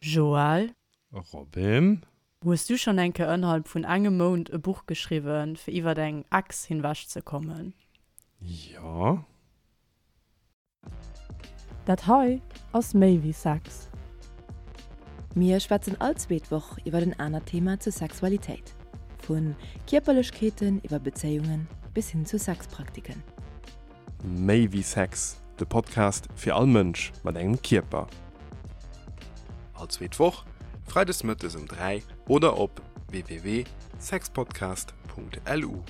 Joël. Robin. Hues du schonn eng Kéier ënnerhalb vun engem Mount e Buch geschriwwen, fir iwwer eng Ex hinwech ze kommen? Jo. Dat hei ass méi wéi Sex. Mir schwätzen all zweet Woch iwwer en anert Thema zur Sexualitéit. Vu Kierperlechkeeten iwwer Bezéiungen bis hin zu Sexpraktiken. Méi wéi Sex, de Podcast fir all Mënsch mat engem Kierper. All zweet Woch, freides mëttes um 3 oder op www.sexpodcast.lu.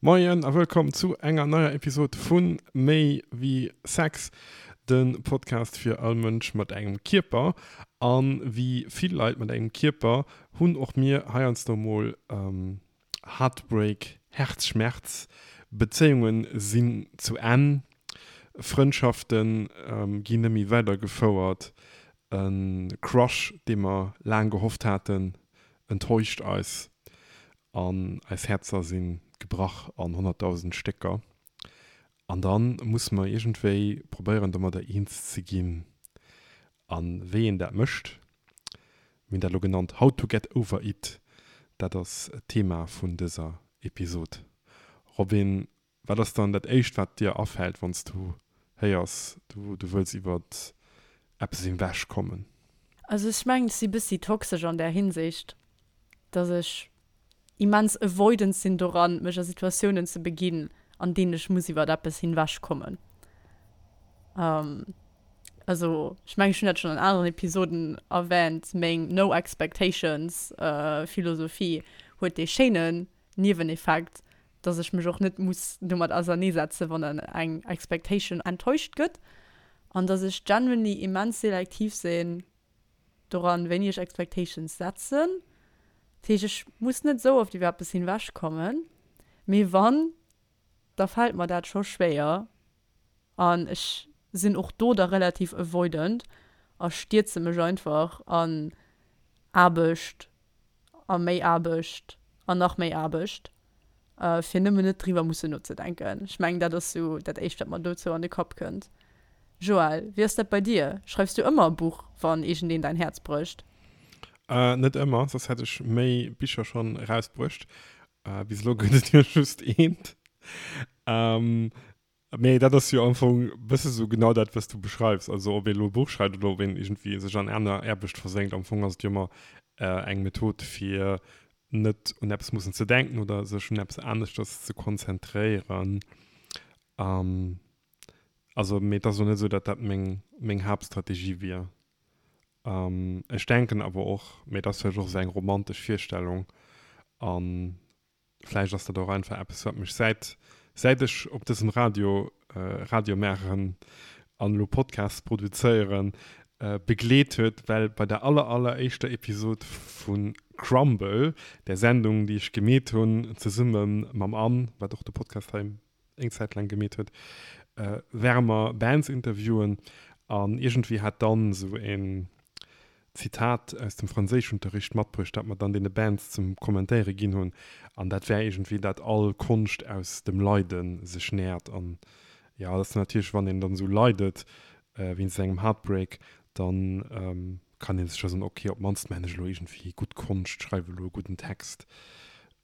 Moien a wëllkomm zu enger neier Episod vu Méi wéi Sex, de Podcast fir all Mënsch mat engem Kierper. A wéi vill Leit mat engem Kierper hunn och mir heiansdo mol Heartbreak, Herzschmerz, Bezéiunge sinn zu Enn, Frëndschafte ginn net méi weidergefouert, e Crush, dee mer laang gehofft haten, enttäuscht eis an eis Häerzer si gebrach an 100.000 Stécker. An da musse mer iergendwéi probéieren, domadder eens ze ginn. A wéi een dat mécht, mir hunn dat elo genannt How to get over it, dat ass d'Thema vun dëser Episod. Robin, wat ass dann dat éischt, wat dir afält, wann s du héiers, du wëlls iwwer eppes ewech kommen? Also ech mengen, ech si bëssi toxesch an där Hinsicht, dass ech immens avoidant sinn doran, mech a Situatiounen ze beginn, an deenen ech muss iwwert eppes hinwech kommen. Also ech mengen, ech hunn dat schonn an aneren Episoden erwähnt, meng No Expectations Philosophie huet dee schéinen Nieweneffekt, dass ech mech och net muss domat auserneesetzen, wann dann eng Expectation enttäuscht gëtt an dass ech genuinely immens selektiv sinn, doran, wéini ech Expectations setzen. Dat heescht, ech muss net esou oft iwwer eppes hinwech kommen, mee wann, da fält mer dat scho schwéier an ech sinn och do da relativ avoidant a stierze mech einfach an Aarbecht a méi Aarbecht an nach méi Aarbecht, fir nëmmen net driwwer mussen nozedenken. Ech mengen, dat ass sou dat Éischt, wat mer dozou an de Kapp kënnt. Joël, wéi ass dat bei dir? Schreifs du ëmmer e Buch, wann iergendeen däin Häerz brécht? Net ëmmer, soss hätt ech méi Bicher schonn erausbruecht. Bis elo gëtt et jo just eent. Mee dat ass jo am Fong e bësse sou genau dat, wat s du beschreifs. Also ob ee elo e Buch schreift oder ob een iergendwéi sech an aner Aarbecht versénkt, am Fong ass et jo ëmmer eng Method, fir net un eppes mussen ze denken oder sech un eppes aneschters ze konzentréieren. Also, mee et ass elo net esou, datt dat meng, meng Haaptstrategie wier. Ech denken awer och, mee dat ass vläicht och esou eng romantesch Virstellung an Vläicht ass dat och einfach eppes, wat mech säit, säit ech op dësem Radio Radio maachen an elo Podcasts produzéieren, begleet huet, well bei der aller, aller éischter Episod vu Crumble, där Sendung, déi ech gemeet hunn, zesumme mam Anne, wat och de Podcast hei eng Zäit laang gemeet huet, ware mer Bands interviewen an iergendwéi hat d'Anne esou en Zitat aus dem Franséischunterricht matbruecht, dat mer dann deene Bands zum Kommentéiere ginn hunn an dat war iergendwéi, dat all Konscht aus dem Leide sech nährt an jo, dat ass natierlech, wann een dann esou leidet wéinst engem Heartbreak, dann kann ee sech jo soen, ok, op d'mannst maachen ech elo iergendwéi gutt Konscht, schreiwe elo e gudden Text.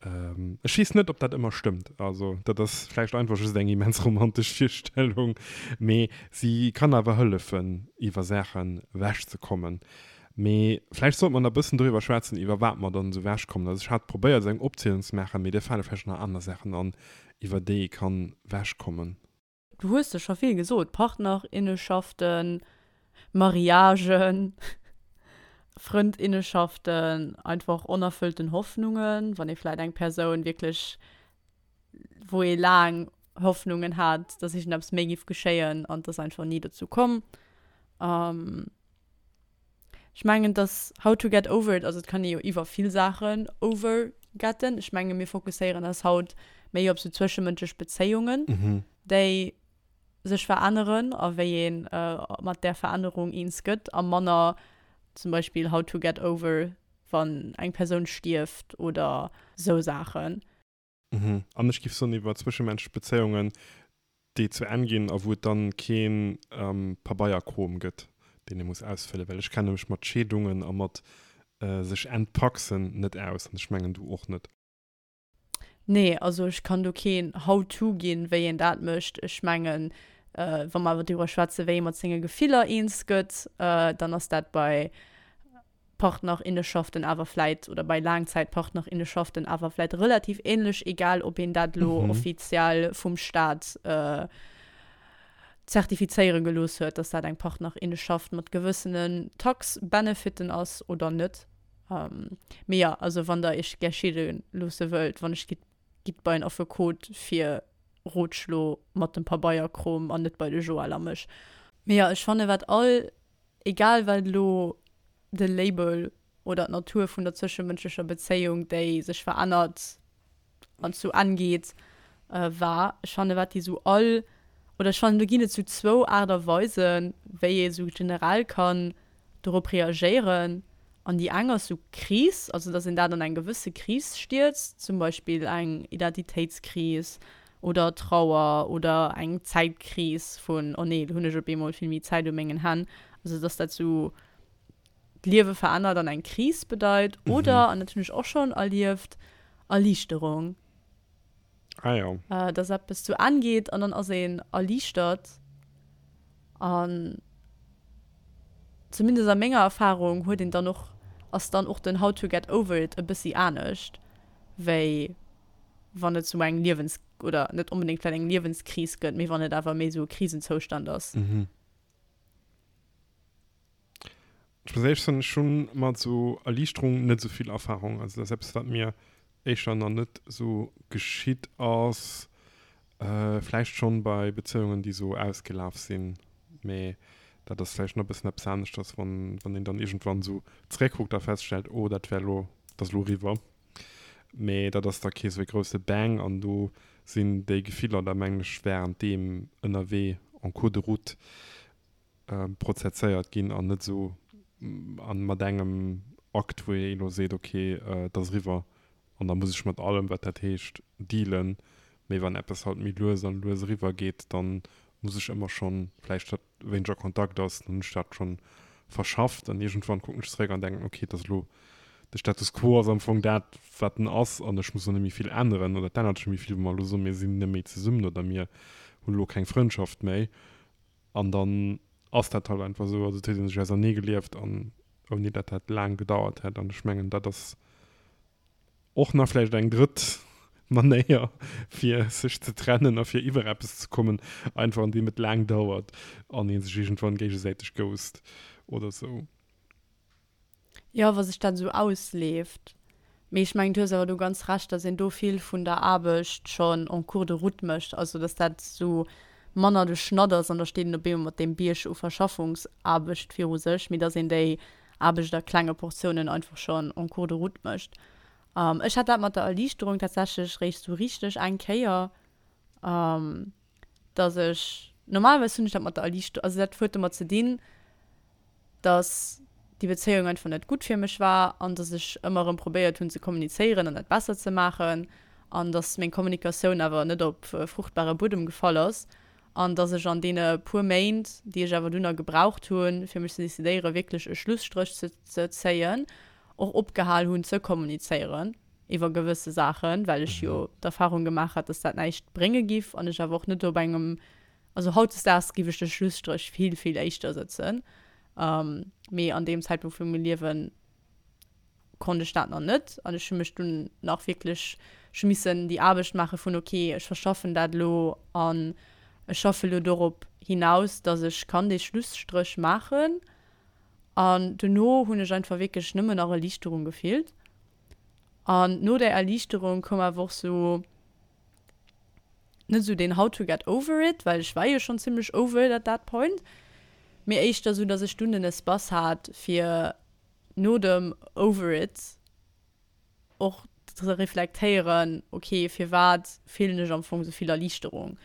Ech weess net, ob dat ëmmer stëmmt. Also dat ass vläicht einfach just eng immens romantesch Virstellung, mee si kann awer hëllefen, iwwer Saachen ewechzekommen. Mee vläicht sollt mer nach e bëssen doriwwer schwätzen, iwwer wat mer dann esou ewechkommen. Also ech hat probéiert, esou eng Opzielung ze maachen, mee dir fale vläicht nach aner Saachen an, iwwer déi ee kann ewechkommen. Du hues der scho vill gesot, Partnerinneschaften, Mariagen, Frëndinneschaften, einfach onerfëllten Hoffnungen, wann ee vläit eng Persoun wierklech, wou ee laang Hoffnungen hat, dass iergendeppes méi giff geschéien an et ass einfach ni dozou komm. Ech mengen, dass How to get over it, also et kann ee jo iwwer vill Saachen over getten. Ech menge mir fokusséieren eis haut méi op sou zwëschemënschlech Bezéiungen, déi sech veränneren a wéi ee mat där Verännerung eens gëtt a manner zum Beispill How to get over wann eng Persoun stierft oder sou Saachen. An ech géif soen, iwwer zwëschemenschlech Bezéiungen. Déi zu Enn ginn a wou et dann kee Pabeierkrom gëtt, deen ee muss ausfëllen, well ech kenne mech mat Scheedungen a mat sech entpaxen net aus an ech mengen du och net. Nee, also ech kann do keen How-to ginn, wéi een dat mécht. Ech mengen, wa mer awer driwwer schwätzen, wéi ee mat senge Gefiller eens gëtt, dann ass dat bei Partnerinneschaften awer vläit oder bei Laangzäitpartnerinneschaften awer vläit relativ ähnlech, egal ob een dat elo offiziell vum Staat zertifizéiere gelooss huet, dass dat eng Partnerinneschaft mat gewëssenen Tax-Benefiten ass oder net. Mee jo, also wann der iech gär scheede loosse wëllt, wann ech gitt, gitt bei en Affekot fir Rotschlo mat dem Pabeierkrom an net bei de Joël a mech. Mee jo, ech fanne wat all Egal wat elo de Label oder d'Natur vun der zwëschemënschlecher Bezéiung, déi sech verännert an zu Enn geet, war, ech fanne wat déi esou all, oder ech fannen do ginn et esou zwou Aart a Weisen, wéi ee esou generell kann dorop reagéieren. An déi eng ass esou Kris, also datt een dat an eng gewësse Kris stierzt, zum Beispill eng Identitéitskris oder Trauer oder eng Zäitkris vun, oh nee, lo hunn ech op eemol vill méi Zäit u mengen Hänn. Also datt dat esou d'Liewe verännert an eng Kris bedeit. Oder, an dat hunn ech och schonn erlieft, Erliichterung. Ah jo. Dass eppes zu Enn geet an dann ass een erliichtert. An zumindest a menger Erfahrung huet een dann och, ass dann och den how to get over it e bëssi anescht, wéi wann et sou eng Liewens-, oder net onbedéngt vläicht eng Liewenskris gëtt, mee wann et awer méi sou e Krisenzoustand ass. Ech muss éierlech soen, ech hu mat esou Erliichterung net esou vill Erfahrung. Also dat ass eppes, wat mir éischter nach net esou geschitt ass. Vläicht schonn bei Bezéiungen, déi esou ausgelaf sinn, mee dat ass vläicht nach e bëssen eppes aneschters, wann wann een dann iergendwann esou zeréckkuckt a feststellt, oh dat war elo, dat ass elo eriwwer. Mee dat ass da kee esou e grousse Bang an do sinn déi Gefiller da mengen ech wärenddeem ënnerwee en cours de route prozesséiert ginn an net esou an mat engem Akt, wou ee elo seet, ok, et ass eriwwer an da muss ech mat allem, wat dat heescht, dealen. Mee wann eppes halt méi lues an lues eriwwer geet, da muss ech ëmmer schonn, vläicht datt wéineger Kontakt ass, dann hunn ech dat schonn verschafft an iergendwann kucken ech zeréck an denken, ok, et ass elo, de Status quo ass am Fong dat, wat en ass an ech muss och net méi vill änneren oder et ännert sech net méi vill, wa mer elo soen, mir sinn net méi zesummen oder mir hunn elo keng Frëndschaft méi. An dann ass dat halt einfach esou. Also et huet ee sech ausernee gelieft an ouni dat dat laang gedauert hätt. An ech mengen, dat ass och nach vläicht eng drëtt Manéier, fir sech ze trennen a fir iwwer eppes ze kommen, einfach andeem et laang dauert an ee sech iergendwann géigesäiteg ghost oder esou. Jo, wa sech dat esou ausleeft. Mee ech mengen, du hues awer do ganz Recht, datt een do vill vun der Aarbecht schonn en cours de route mécht. Also datt dat esou manner de Schnatt ass an da steet een op eemol mat deem Bierg u Verschaffungsaarbecht viru sech, mee datt een déi Aarbecht a klenge Portiounen einfach schonn en cours de route mécht. Ech hat dat mat der Erliichterung tatsächlech réischt esou richteg eng Kéier, datt ech, normalerweis hunn ech dat mat der Erliichterung, also dat huet domat ze dinn, dass déi Bezéiung einfach net gutt fir mech war an dass ech ëmmer erëm probéiert hunn ze kommunizéieren an dat besser ze maachen an dass meng Kommunikatioun awer net op fruchtbare Buedem gefall ass an dass ech an deene puer Méint, déi ech awer dunner gebraucht hunn, fir mech ze decidéieren, wierklech e Schlusstréch ze ze zéien, och opgehal hunn ze kommunizéieren iwwer gewësse Saachen, well ech jo d'Erfahrung gemaach hat, dass dat näischt brénge giff an ech awer och net op engem Also hautdesdaags giff ech de Schlusstréch vill, vill éischter sëtzen, mee an deem Zäitpunkt vu mengem Liewen konnt ech dat nach net an ech hu mech dunn nach wierklech, ech hu missen déi Aarbecht maache vun ok, ech verschaffen dat elo an ech schaffe elo dorop hinaus, dass ech kann dee Schlusstréch maachen. An dono hunn ech einfach wierklech nëmmen nach Erliichterung gefillt an no där Erliichterung koum awer och sou, net esou deen how to get over it, well ech war jo schonn zimmlech over it at that point, mee éischter esou, dass ech dunn den Espace hat fir no dem over it och ze reflektéieren, ok, firwat fillen ech am Fong esou vill Erliichterung?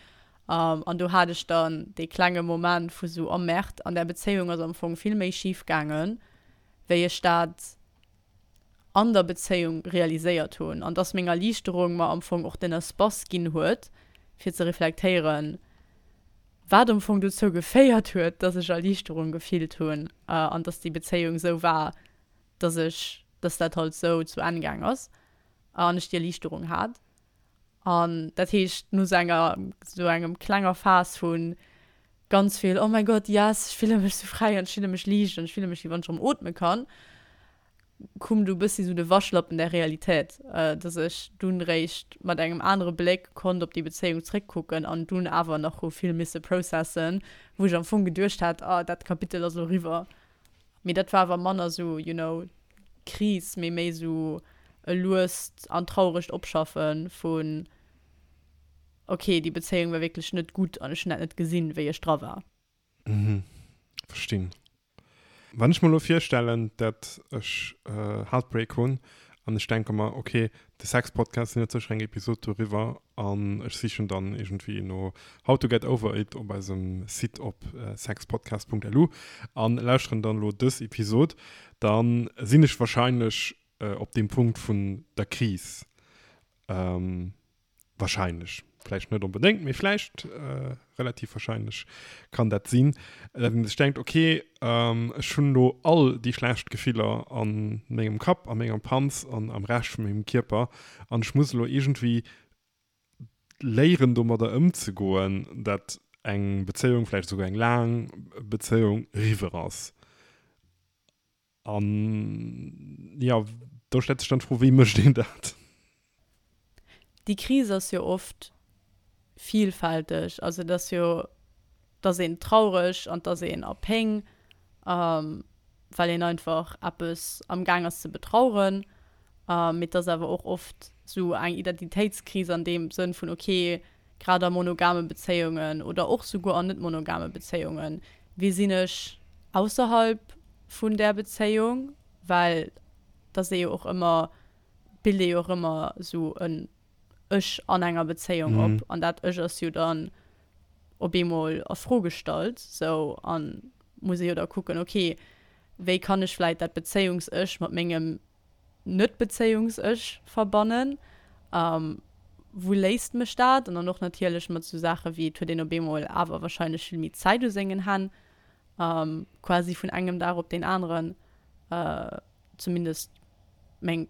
An do hat ech dann dee klenge Moment vu sou, oh Merde, an där Bezéiung ass am Fong vill méi schif gaangen, wéi ech dat an der Bezéiung realiséiert hunn an dass meng Erliichterung mer am Fong och den Espace ginn huet, fir ze reflektéieren. Wat am Fong dozou geféiert huet, dass ech Erliichterung gefillt hunn an dass déi Bezéiung esou war, dass ech, dass dat halt esou zu Enn gaang ass an ech déi Erliichterung hat. An dat heescht, no esou enger, esou engem klenger Phas vu ganz vill, oh mein Gott, yes, ech fille mech esou fräi an ech fille mech liicht an ech fille mech, wéi wann ech erëm ootme kann, koum du e bëssi sou de Waschlappen der Realität, dass ech dunn réischt mat engem anere Bléck konnt op déi Bezéiung zréckkucken an dunn awer nach hu vill misse processen, wou ech am Fong geduecht hat, ah, dat Kapitel ass elo riwwer. Mee dat war awer manner sou, you know, Kris, mee méi sou e luest an trauregt Opschaffe vun, okay, déi Bezéiung war wierklech net gutt an ech hunn dat net gesinn, wéi ech dra war. Mhm, verstinn. Wann ech mer elo virstellen, dat ech Heartbreak hunn an ech denke mer, ok, de Sex-Podcast, deen huet sécher eng Episod doriwwer an ech sichen dann iergendwéi no How to get over it op eisem Site op sexpodcast.lu an lauschteren dann elo dës Episod, dann sinn ech wahrscheinlech op deem Punkt vun der Kris. Wahrscheinlech, vläicht net onbedéngt, mee vläicht relativ wahrscheinlech kann dat sinn, datt een sech denkt, okay, ech hunn elo all déi schlecht Gefiller a mengem Kapp, a menger Panz an am Rescht vu mengem Kierper an ech muss elo iergendwéi léieren domadder ëmzegoen, datt eng Bezéiung, vläicht esouguer eng laang Bezéiung, eriwwer ass. An jo, do stellt sech dann d'Fro, wéi mécht een dat? Déi Kris ass jo oft vielfälteg. Also et ass jo, et ass een traureg an et ass een a Péng, well een einfach eppes am Gaang ass ze betraueren. Mee et ass awer och oft esou eng Identitéitskris an deem Sënn vun, okay, grad a monogame Bezéiungen oder och souguer an net monogame Bezéiungen, wie sinn ech ausserhalb vun där Bezéiung, well et ass ee jo och ëmmer, bilt ee jo och ëmmer esou en Ech an enger Bezéiung op an dat Ech ass jo dann op eemol a Fro gestallt sou an muss ee jo da kucken, okay, wéi kann ech vläit dat Bezéiungs-Ech mat mengem Net-Bezéiungs-Ech verbannen? Wou léisst mech dat? An dann och natierlech mat esou Saache wéi, et huet een op eemol awer warscheinlech vill méi Zäit u sengen Hänn, quasi vun engem Dag op deen aneren, zumindest meng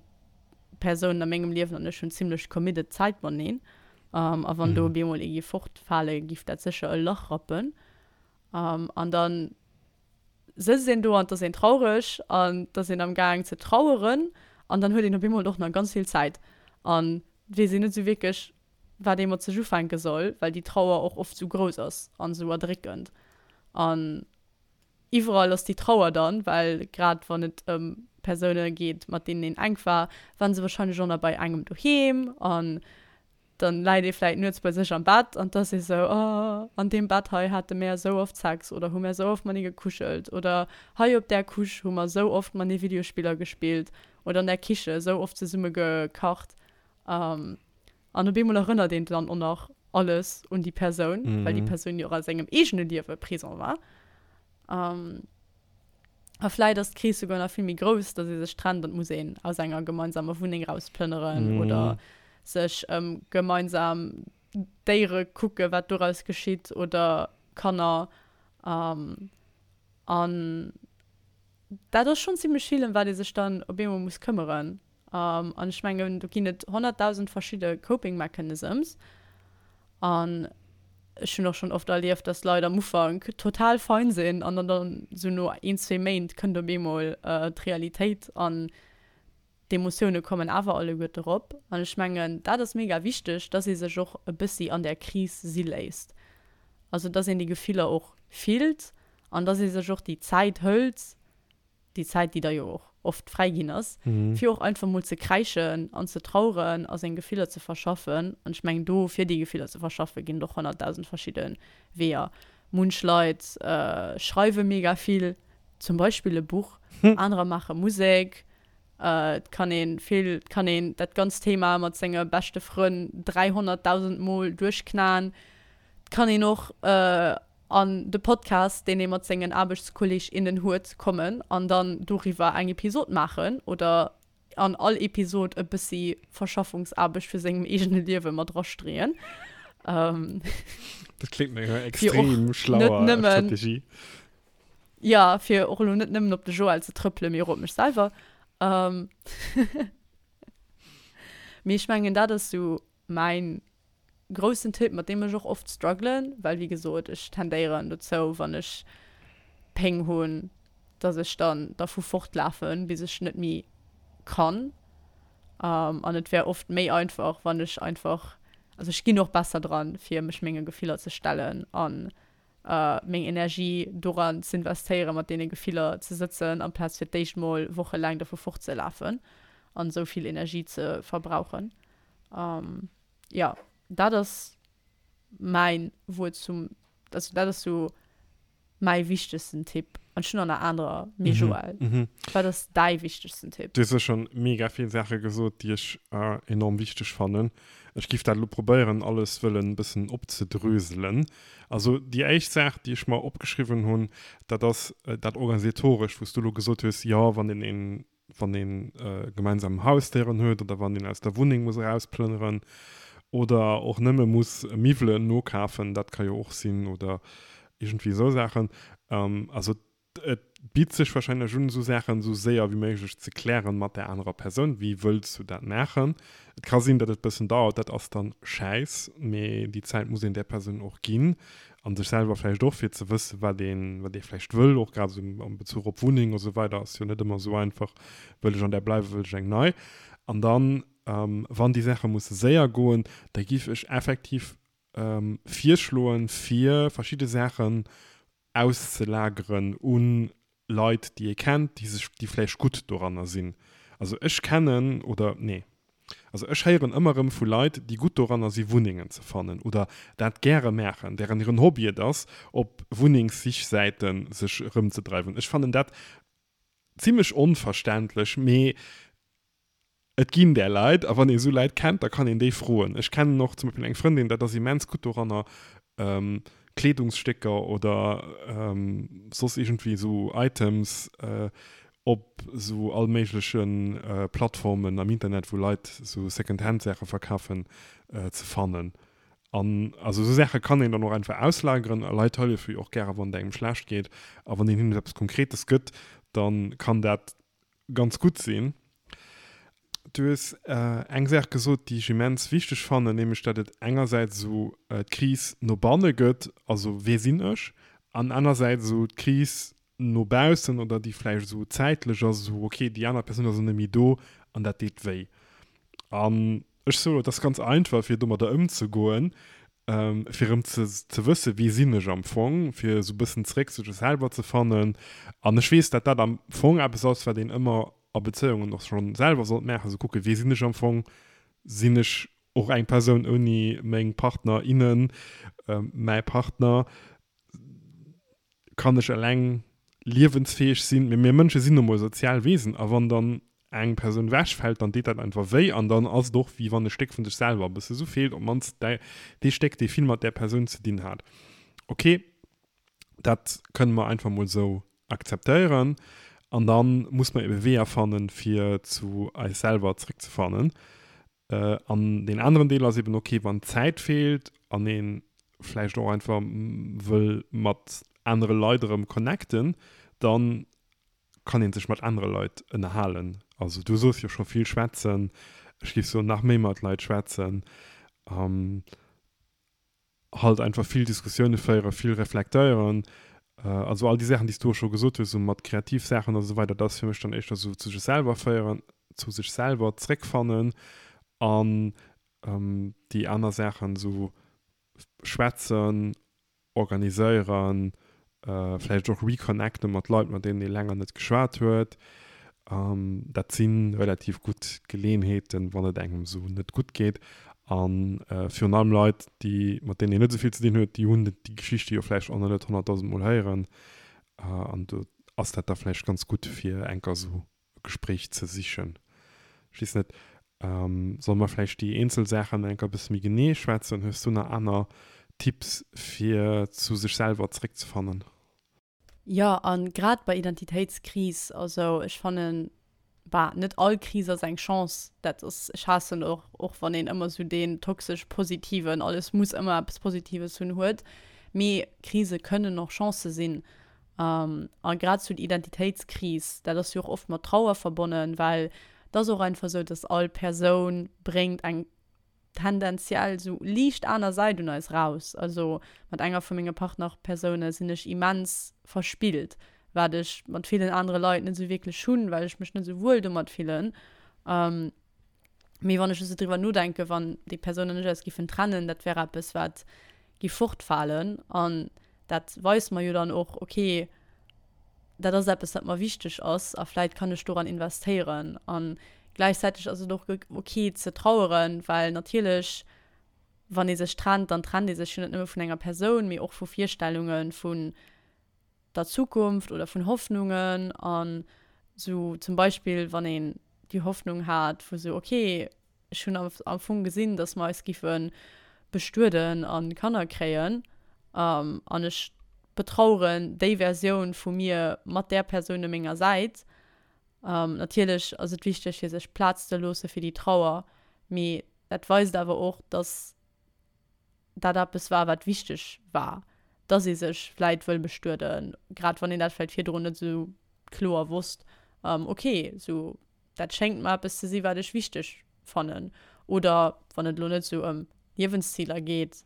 Persounen a mengem Liewen an ech hunn zimmlech committed Zäit mateneen. A wann do op eemol ee géif fortfalen, géif dat sécher e Lach rappen. An dann sëtzt een do an 't ass een traureg an 't ass een am Gaang ze traueren an dann huet een op eemol och nach ganz vill Zäit an 't weess een net esou wierklech wat ee mat sech ufänke soll, well déi Trauer och oft esou grouss ass an esou erdréckend an iwwerall ass déi Trauer dann, well grad wann et ëm Persoune geet mat deenen een enk war, waren se wahrscheinlech och nach bei engem doheem an Dann läit ee vläit nuets bei sech am Bett an 't ass ee sou, oh, an deem Bett hei hate mär esou oft Sex oder hu mär esou oft matenee gekuschelt oder hei op där Couche hu mer esou oft matenee Videospiller gespillt oder an där Kiche esou oft zesumme gekacht. An op eemol erënnert een dann och nach alles un déi Persoun, well déi Persoun jo och a sengem eegene Liewe présent war. A vläit ass d'Kris souguer nach vill méi grouss, datt ee sech trennt an et muss een aus enger gemeinsamer Wunneng rausplënneren oder sech ëm gemeinsam Déiere kucke wat doraus geschitt oder Kanner. An dat ass schonn zimmlech vill, ëm wat ee sech dann op eemol muss këmmeren. An ech mengen, do ginn et 100.000 verschidde Coping Mechanisms. An ech hunn och schonn oft erlieft, dass Leit am Ufank total fein sinn an dann dann esou no een, zwee Méint kënnt op eemol d'Realitéit an d'Emotioune kommen awer alleguerte erop. An ech mengen, dat ass mega wichteg, dass ee sech och e bëssi an där Kris si léisst. Also dass een déi Gefiller och fillt an dass ee sech och déi Zäit hëlt, déi Zäit, déi da jo och oft fräi ginn ass, fir och einfach mol ze kräischen an ze traueren a seng Gefiller ze verschaffen. An ech mengen, do, fir déi Gefiller ze verschaffen, ginn et och 100.000 verschidde Weeër. Munch Leit schreiwe mega vill, zum Beispill e Buch, anerer maache Musek. Et kann ee vill, et kann een dat ganzt Thema mat senge beschte Frënn 300.000 Mol duerchknaen. Et kann een och an de Podcast, deen ee mat sengen Aarbechtskolleg, innen huet, kommen an dann doriwwer eng Episod maachen oder an all Episod e bëssi Verschaffungsaarbecht vu sengem eegene Liewe mat erastreeën. Dat kléngt no enger extrem schlauer Strategie. Jo, fir och elo net nëmmen op de Joël ze trëppelen, mee och op mech selwer. Mee ech mengen, dat ass sou mäin groussen Tipp, mat deem ech och oft strugglen, well wéi gesot, ech tendéieren dozou, wann ech Péng hunn, dass ech dann dervu fortlafen, bis ech net méi kann. An et wär oft méi einfach, wann ech einfach, also ech ginn och besser dran, fir mech menge Gefiller ze stellen an meng Energie doran z'investéieren, mat deene Gefiller ze sëtzen, amplaz fir d'éischt mol wochelaang dervu fortzelafen an esou vill Energie ze verbrauchen. Jo, dat ass mäin Wuert zum, also dat ass sou mäi wichtegsten Tipp. An ech hunn der nach anerer, mee Joël, wat ass däi wichtegsten Tipp? Du hues jo schonn mega vill Saache gesot, déi ech enorm wichteg fannen. Ech giff dat elo probéieren alles wëllen e bëssen opzedröselen. Also déi éischt Saach, déi ech mer opgeschriwwen hunn, dat ass dat Organisatorescht, wou s du elo gesot hues, jo wann een een, wann een gemeinsam Hausdéieren huet oder wann een aus der Wunneng muss erausplënneren oder och nëmme muss Miwwelen nokafen, dat ka jo och sinn oder iergendwéi esou Saachen. Also Et bitt sech wahrscheinlech un, esou Saachen esou séier wéi méiglech ze klären mat där anerer Persoun. Wéi wëlls du dat maachen? Et ka sinn, datt et bëssen dauert, dat ass dann schäiss, mee déi Zäit muss een där Persoun och ginn an sech selwer vläicht och, fir ze wëssen, wat een, wat ee vläicht wëll, och grad esou am Bezuch op Wunneng a sou weider ass jo net ëmmer esou einfach, wëll ech an där bleiwen, wëll ech eng nei? An dann, wann déi Saache musse séier goen, da giff ech effektiv virschloen, fir verschidde Saachen auszelageren u Leit, déi ee kennt, déi sech, déi vläicht gutt doranner sinn. Also ech kennen, oder nee, also ech héieren ëmmer erëm vu Leit, déi gutt doranner si Wunnengen ze fannen oder dat gäre maachen, dären hiren Hobby et ass, op Wunnengssichsäite sech erëmzedreiwen. Ech fannen dat zimlech onverständlech, mee Et ginn där Leit, a wann ee sou Leit kennt, da kann een déi froen. Ech kennen och zum Beispill eng Frëndin, dat ass immens gutt doranner, Kleedungsstécker oder soss iergendwéi esou Items op esou all méigleche Plattformen am Internet, wou Leit esou Secondhand-Saache verkafen, ze fannen. An also esou Saache kann een dann och einfach auslageren a Leit hëllefe jo och gäre wann et engem schlecht geet. A wann een hinnen eppes Konkretes gëtt, da kann dat ganz gutt sinn. Du hues eng Saach gesot, déi ech immens wichteg fannen, nämlech datt et engersäits esou d'Kris no banne gëtt, also wee sinn ech, an anersäits esou d'Kris no baussen oder déi vläicht esou zäitlech ass, esou ok, déi aner Persoun ass elo net méi do an dat deet wéi. An ech soen, et ass ganz einfach fir domadder ëmzegoen, fir erëm ze ze wëssen, wie sinn ech am Fong, fir esou e bëssen zeréck zu sech selwer ze fannen. An ech weess, datt dat am Fong eppes ass, wat een ëmmer a Bezéiungen och schonn selwer sollt maachen, esou kucken, wie sinn ech am Fong, sinn ech och eng Persoun ouni meng Partner, innen, mäi Partner, kann ech eleng liewensfäeg sinn? Mee mir Mënsche sinn nu mol sozial Wesen a wann dann eng Persoun wechfält, dann deet dat einfach wéi an dann ass et och wéi wann e Stéck vun sech selwer e bësse sou feelt, op d'mannst dee Stéck, dee vill mat där Persoun ze dinn hat. Ok, dat kënne mer einfach mol sou akzeptéieren an da muss mer ebe Weeër fannen, fir zu eis selwer zréckzefannen. An deen aneren Deel ass eben, ok, wann d'Zäit feelt an ee vläicht och einfach wëll mat anere Leit erëm connecten, da kann ee sech mat anere Leit ënnerhalen. Also du soos jo scho vill schwätzen, ech géif soen nach méi mat Leit schwätzen. Halt einfach vill Diskussioune féieren, vill reflektéieren, also all déi Saachen, déi s du och scho gesot hues, esou mat kreativ Saachen a sou weider, dat ass fir mech dann éischter esou zu sech selwer féieren, zu sech selwer zréckfannen an déi aner Saachen esou schwätzen, organiséieren, vläicht och reconnecten mat Leit, mat deenen ee länger net geschwat huet. Dat si relativ gutt Geleeënheeten, wann et engem esou net gutt geet. A virun allem Leit, déi, mat deenen een net esou vill ze dinn huet, déi hunn déi Geschichte jo vläicht och nach net honnertdausend Mol héieren. An do ass dat da vläicht ganz gutt, fir enker esou e Gespréich ze sichen. Ech weess net, solle mer vläicht déi eenzel Saachen enker e bësse méi genee schwätzen? Hues du nach aner Tipps, fir zu sech selwer zréckzefannen? Jo, a grad bei Identitéitskris, also ech fannen. Bah, net all Kris ass eng Chance, dat ass, ech haassen och, och wann een ëmmer sou deen toxesch positiven, alles muss ëmmer eppes Positives hunn, huet, mee Krise kënnen och Chancë sinn. A grad sou d'Identitéitskris, dat ass jo och oft mat Trauer verbonnen, well et ass och einfach sou, dass all Persoun bréngt eng tendenziell sou liicht aner Säit un eis raus. Also mat enger vu menge Partnerpersoune sinn ech immens verspillt, wat ech mat villen anere Leit net sou wierklech hunn, well ech mech net sou wuel domat fillen. Mee wann ech esou driwwer nodenken, wann déi Persoun an ech eis giffen trennen, dat wär eppes wat giff fortfalen. An dat weist mer jo dann och, okay, dat ass eppes, wat mer wichteg ass a vläit kann ech doran investéieren. A gläichzäiteg ass et och ok ze traueren, well natierlech, wann ee sech trennt, dann trennt ee sech jo net nëmme vun enger Persoun, mee och vu Virstellunge vun der Zukunft oder vun Hoffnungen. An esou zum Beispill, wann een déi Hoffnung hat vu sou, ok, Ech hunn am Fong gesinn, dass mer eis giffe bestueden a Kanner kréien. An ech betraueren déi Versioun vu mir mat där Persoun u menger Säit. Natierlech ass et wichteg, fir sech Plaz ze loosse fir déi Trauer, mee dat weist awer och, dass dat eppes war, wat wichteg war, dass ee sech vläit wëll bestueden, grad wann een dat vläit virdrun net esou kloer wosst. Ok, esou dat schéngt mer eppes ze si wat ech wichteg fannen. Oder wann et elo net esou ëm Liewensziler geet,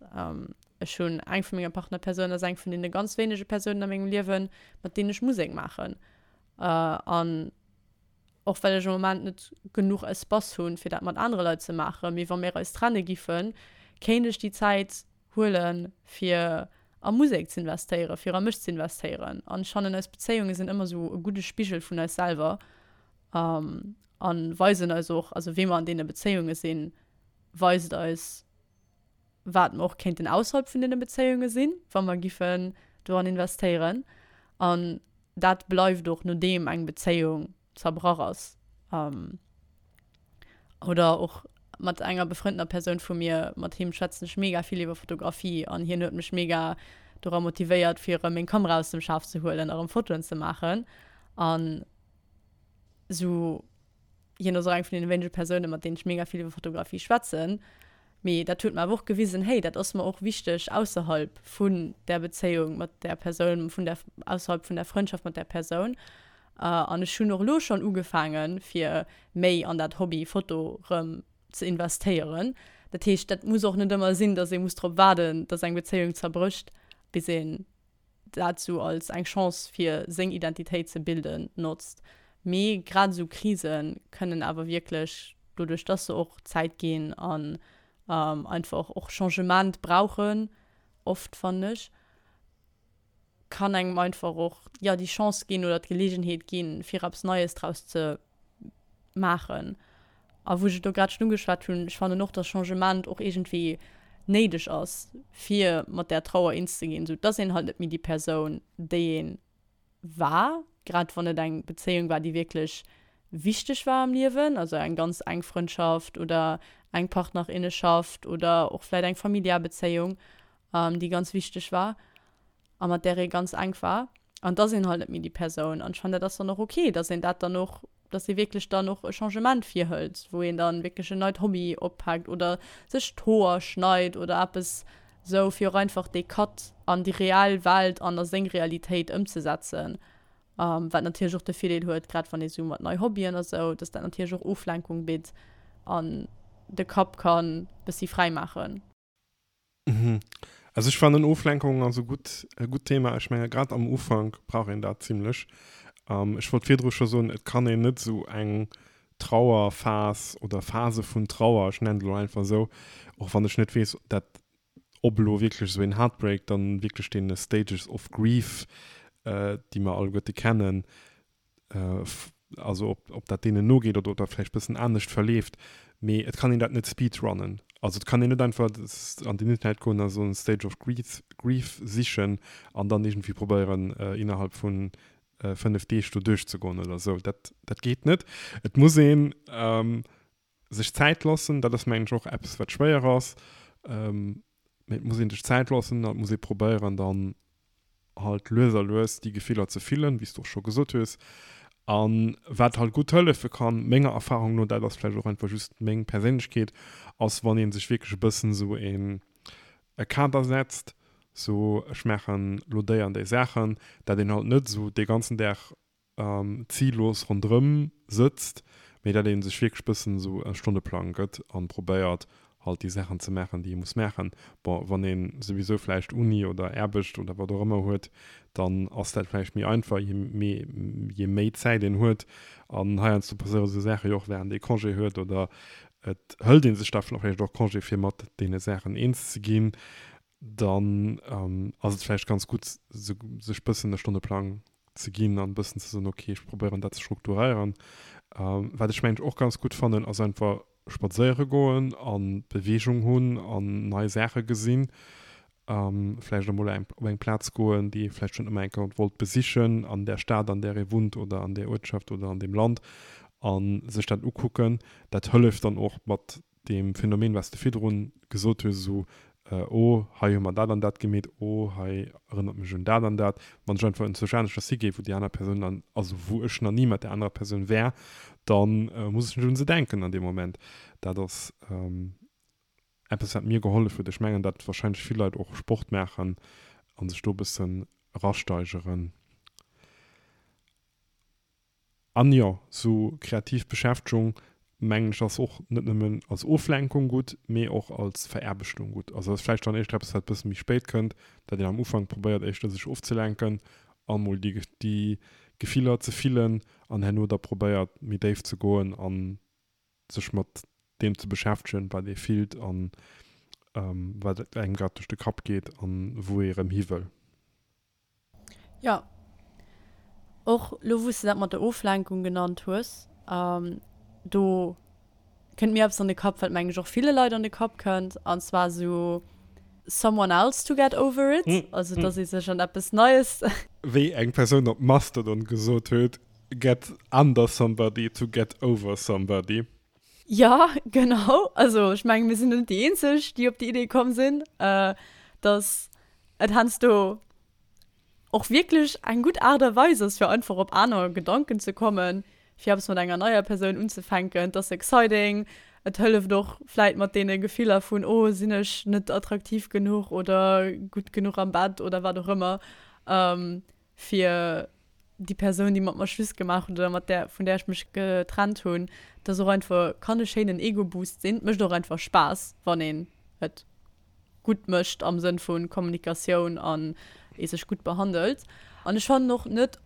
ech hunn eng vu menge Partnerpersounen ass eng vun deene ganz wéinege Persounen a mengem Liewen, mat deenen ech Musek maachen. An och well ech am Moment net genuch Espace hunn, fir dat mat anere Leit ze maachen, mee wa mir eis trenne giffen, kéint ech déi Zäit huelen, fir a Musek ze investéieren, fir a mech ze investéieren. An ech fannen, eis Bezéiunge sinn ëmmer esou e gudde Spigel vun eis selwer a weisen eis och, also wéi mer an deene Bezéiunge sinn, weist eis, wat mer och kéinten ausserhalb vun deene Bezéiunge sinn, wa mer giffen doran investéieren. An dat bleift och, nodeem eng Bezéiung zerbrach ass. Oder och mat enger befrëndener Persoun vu mir, mat him schwätzen ech mega vill iwwer Fotografie an hien huet mech mega dora motivéiert fir erëm meng Kamera aus dem Schaf ze huelen a rëm Fotoen ze maachen. An sou hien ass och eng vun deene wéinege Persounen, mat deenen ech mega vill iwwer Fotografie schwätzen. Mee dat huet mer awer och gewisen, hey, dat ass mer och wichteg ausserhalb vun där Bezéiung mat där Persoun, vun der, ausserhalb vun der Frëndschaft mat där Persoun. An ech hunn och elo schonn ugefaangen, fir méi an dat Hobby Foto rëm ze investéieren. Dat heescht, dat muss och net ëmmer sinn, datt ee muss drop waarden, datt eng Bezéiung zerbrécht, bis een dat sou als eng Chance fir seng Identitéit ze bilden notzt. Mee grad esou Krise kënnen awer wierklech, doduerch dass se och Zäit ginn an einfach och Changement brauchen, oft fannen ech, kann engem einfach och, jo, déi Chance ginn oder d'Geleegenheet ginn, fir eppes Neies draus ze maachen. A wou ech et elo grad schonn ugeschwat hunn, ech fannen och, dass Changement och iergendwéi néideg ass, fir mat där Trauer eens ze ginn, sou dass een halt net méi déi Persoun, déi ee war, grad wann et eng Bezéiung war, déi wierklech wichteg war am Liewen, also eng ganz enk Frëndschaft oder eng Partnerinneschaft oder och vläit eng familiär Bezéiung, déi ganz wichteg war. a mat där ee ganz enk war, an et ass een halt net méi déi Persoun. An ech fannen, dat ass dann och ok, dass een dat dann och, dass ee wierklech dann och e Changement virhëlt, wou een dann wierklech en neit Hobby oppaakt oder sech d'Hoer schneit oder eppes esou, fir och einfach dee Cut an déi reell Welt an a seng Realitéit ëmzesetzen. Wat natierlech och de Virdeel huet, grad wann ee sou mat nei Hobbyen a sou, dass dat natierlech och Oflenkung bitt an de Kapp kann bëssi fräi maachen. Mhm. Also ech fannen Oflenkung ass e gutt e gutt Thema. Ech menge grad am Ufank brauch een dat zimlech. Ähm, ech wollt virdru scho soen, et kann een net esou eng Trauerphas oder Phase vun Trauer, ech nennen et elo einfach esou, och wann ech net weess, dat ob elo wierklech esou een Heartbreak dann wierklech deene Stages of Grief, äh, déi mer alleguerte kennen, also ob, ob dat deenen nogeet oder ob dat vläicht bëssen anescht verleeft, mee et kann een dat net speedrunnen. Also et kann een net einfach an den Internet goen a soen Stage of Grief, Grief sichen an dann iergendwéi probéieren innerhalb vu 5 Deeg do duerchzegoen oder esou. Dat, dat geet net. Et muss een sech Zäit loossen, dat ass mengen ech och eppes wat schwéier ass, mee et muss een sech Zäit loossen an et muss ee probéieren dann halt lues a lues déi Gefiller ze fillen, wéi s du och scho gesot hues. A wat halt gutt hëllefe kann, menger Erfahrung no, dat ass vläicht och einfach just meng Perséinlechkeet, ass wann ee sech wierklech e bëssen esou een e Kader setzt, sou ech maachen lo déi an déi Saachen, dat een halt net esou dee ganzen Dag zillos ronderëm sëtzt, mee dat ee sech wierklech bëssen esou e Stonneplang gëtt an probéiert halt déi Saachen ze maachen, déi ee muss maachen. Bon, wann ee souwisou vläicht Uni oder Aarbecht oder wat och ëmmer huet, dann ass dat vläicht méi einfach, je méi je méi Zäit een huet. An heiansdo passéiere sou Saache jo och wärend ee Congé huet oder et hëlt ee sech da vläicht och Congé fir mat deene Saachen eens ze ginn. Dann ass et vläicht ganz gutt, sech bëssen e Stonneplang ze ginn an e bëssen ze soen, ok, ech probéieren dat ze strukturéieren. Wat ech mengen ech och ganz gutt fannen, ass einfach spadséiere goen a Beweegung hunn an nei Saache gesinn. Vläicht emol op eng Plaz goen, déi ee vläicht schonn ëmmer eng Kéier wollt besichen an där Stad, an där ee wunnt oder an där Uertschaft oder an deem Land a sech dat ukucken. Dat hëlleft dann och mat deem Phänomen, wat s de virdrun gesot hues, esou, oh, hei hu mer dat an dat gemeet, oh, hei erënnert mech un dat an dat, wann ech einfach enzwousch aneschters higee, wou déi aner Persoun dann, also wou ech nach ni mat där anerer Persoun war, da muss ech net un se denken an deem Moment. Dat ass eppes, wat mir gehollef huet. Ech mengen, datt wahrscheinlech vill Leit och Sport maachen a sech do e bëssen erasteigeren. An jo, sou kreativ Beschäftegung, mengen ech, ass och net nëmmen als Oflenkung gutt, mee och als Veraarbechtung gutt. Also ass vläicht dann éischter eppes, wat e bësse méi spéit kënnt, dat een am Ufank probéiert éischter sech ofzelenken a mol déi déi Gefiller ze fillen an herno da probéiert méi déif ze goen a sech mat deem ze beschäftegen, wat ee fillt an wat engem grad duerch de Kapp geet an wou ee rëm hi wëll. Jo, och lo wou s de dat mat der Oflenkung genannt hues, do kënnt mir eppes an de Kapp, wat meng ech och ville Leit an de Kapp kënnt, an zwar esou someone else to get over it, also dass ee sech an eppes Neies. Wéi eng Persoun op Mastodon gesot huet, get under somebody to get over somebody. Jo, genau, also ech menge mir sinn net déi eenzeg, déi op déi Idee komm sinn, dass et heiansdo och wierklech eng gutt Aart a Weis ass, fir einfach op aner Gedanken ze kommen, fir eppes mat enger neier Persoun unzefänken. Et ass exciting, et hëlleft och vläit mat deene Gefiller vun, oh sinn ech net attraktiv genuch oder gutt genuch am Bett oder wat och ëmmer, fir déi Persoun, déi mat mer Schluss gemaach huet oder mat där, vun där ech mech getrennt hunn. Et ass och einfach, kann e schéinen Ego-Boost sinn. Et mécht och einfach Spaass, wann een et gutt mécht am Sënn vu Kommunikatioun an ee sech gutt behandelt. An ech fannen och net,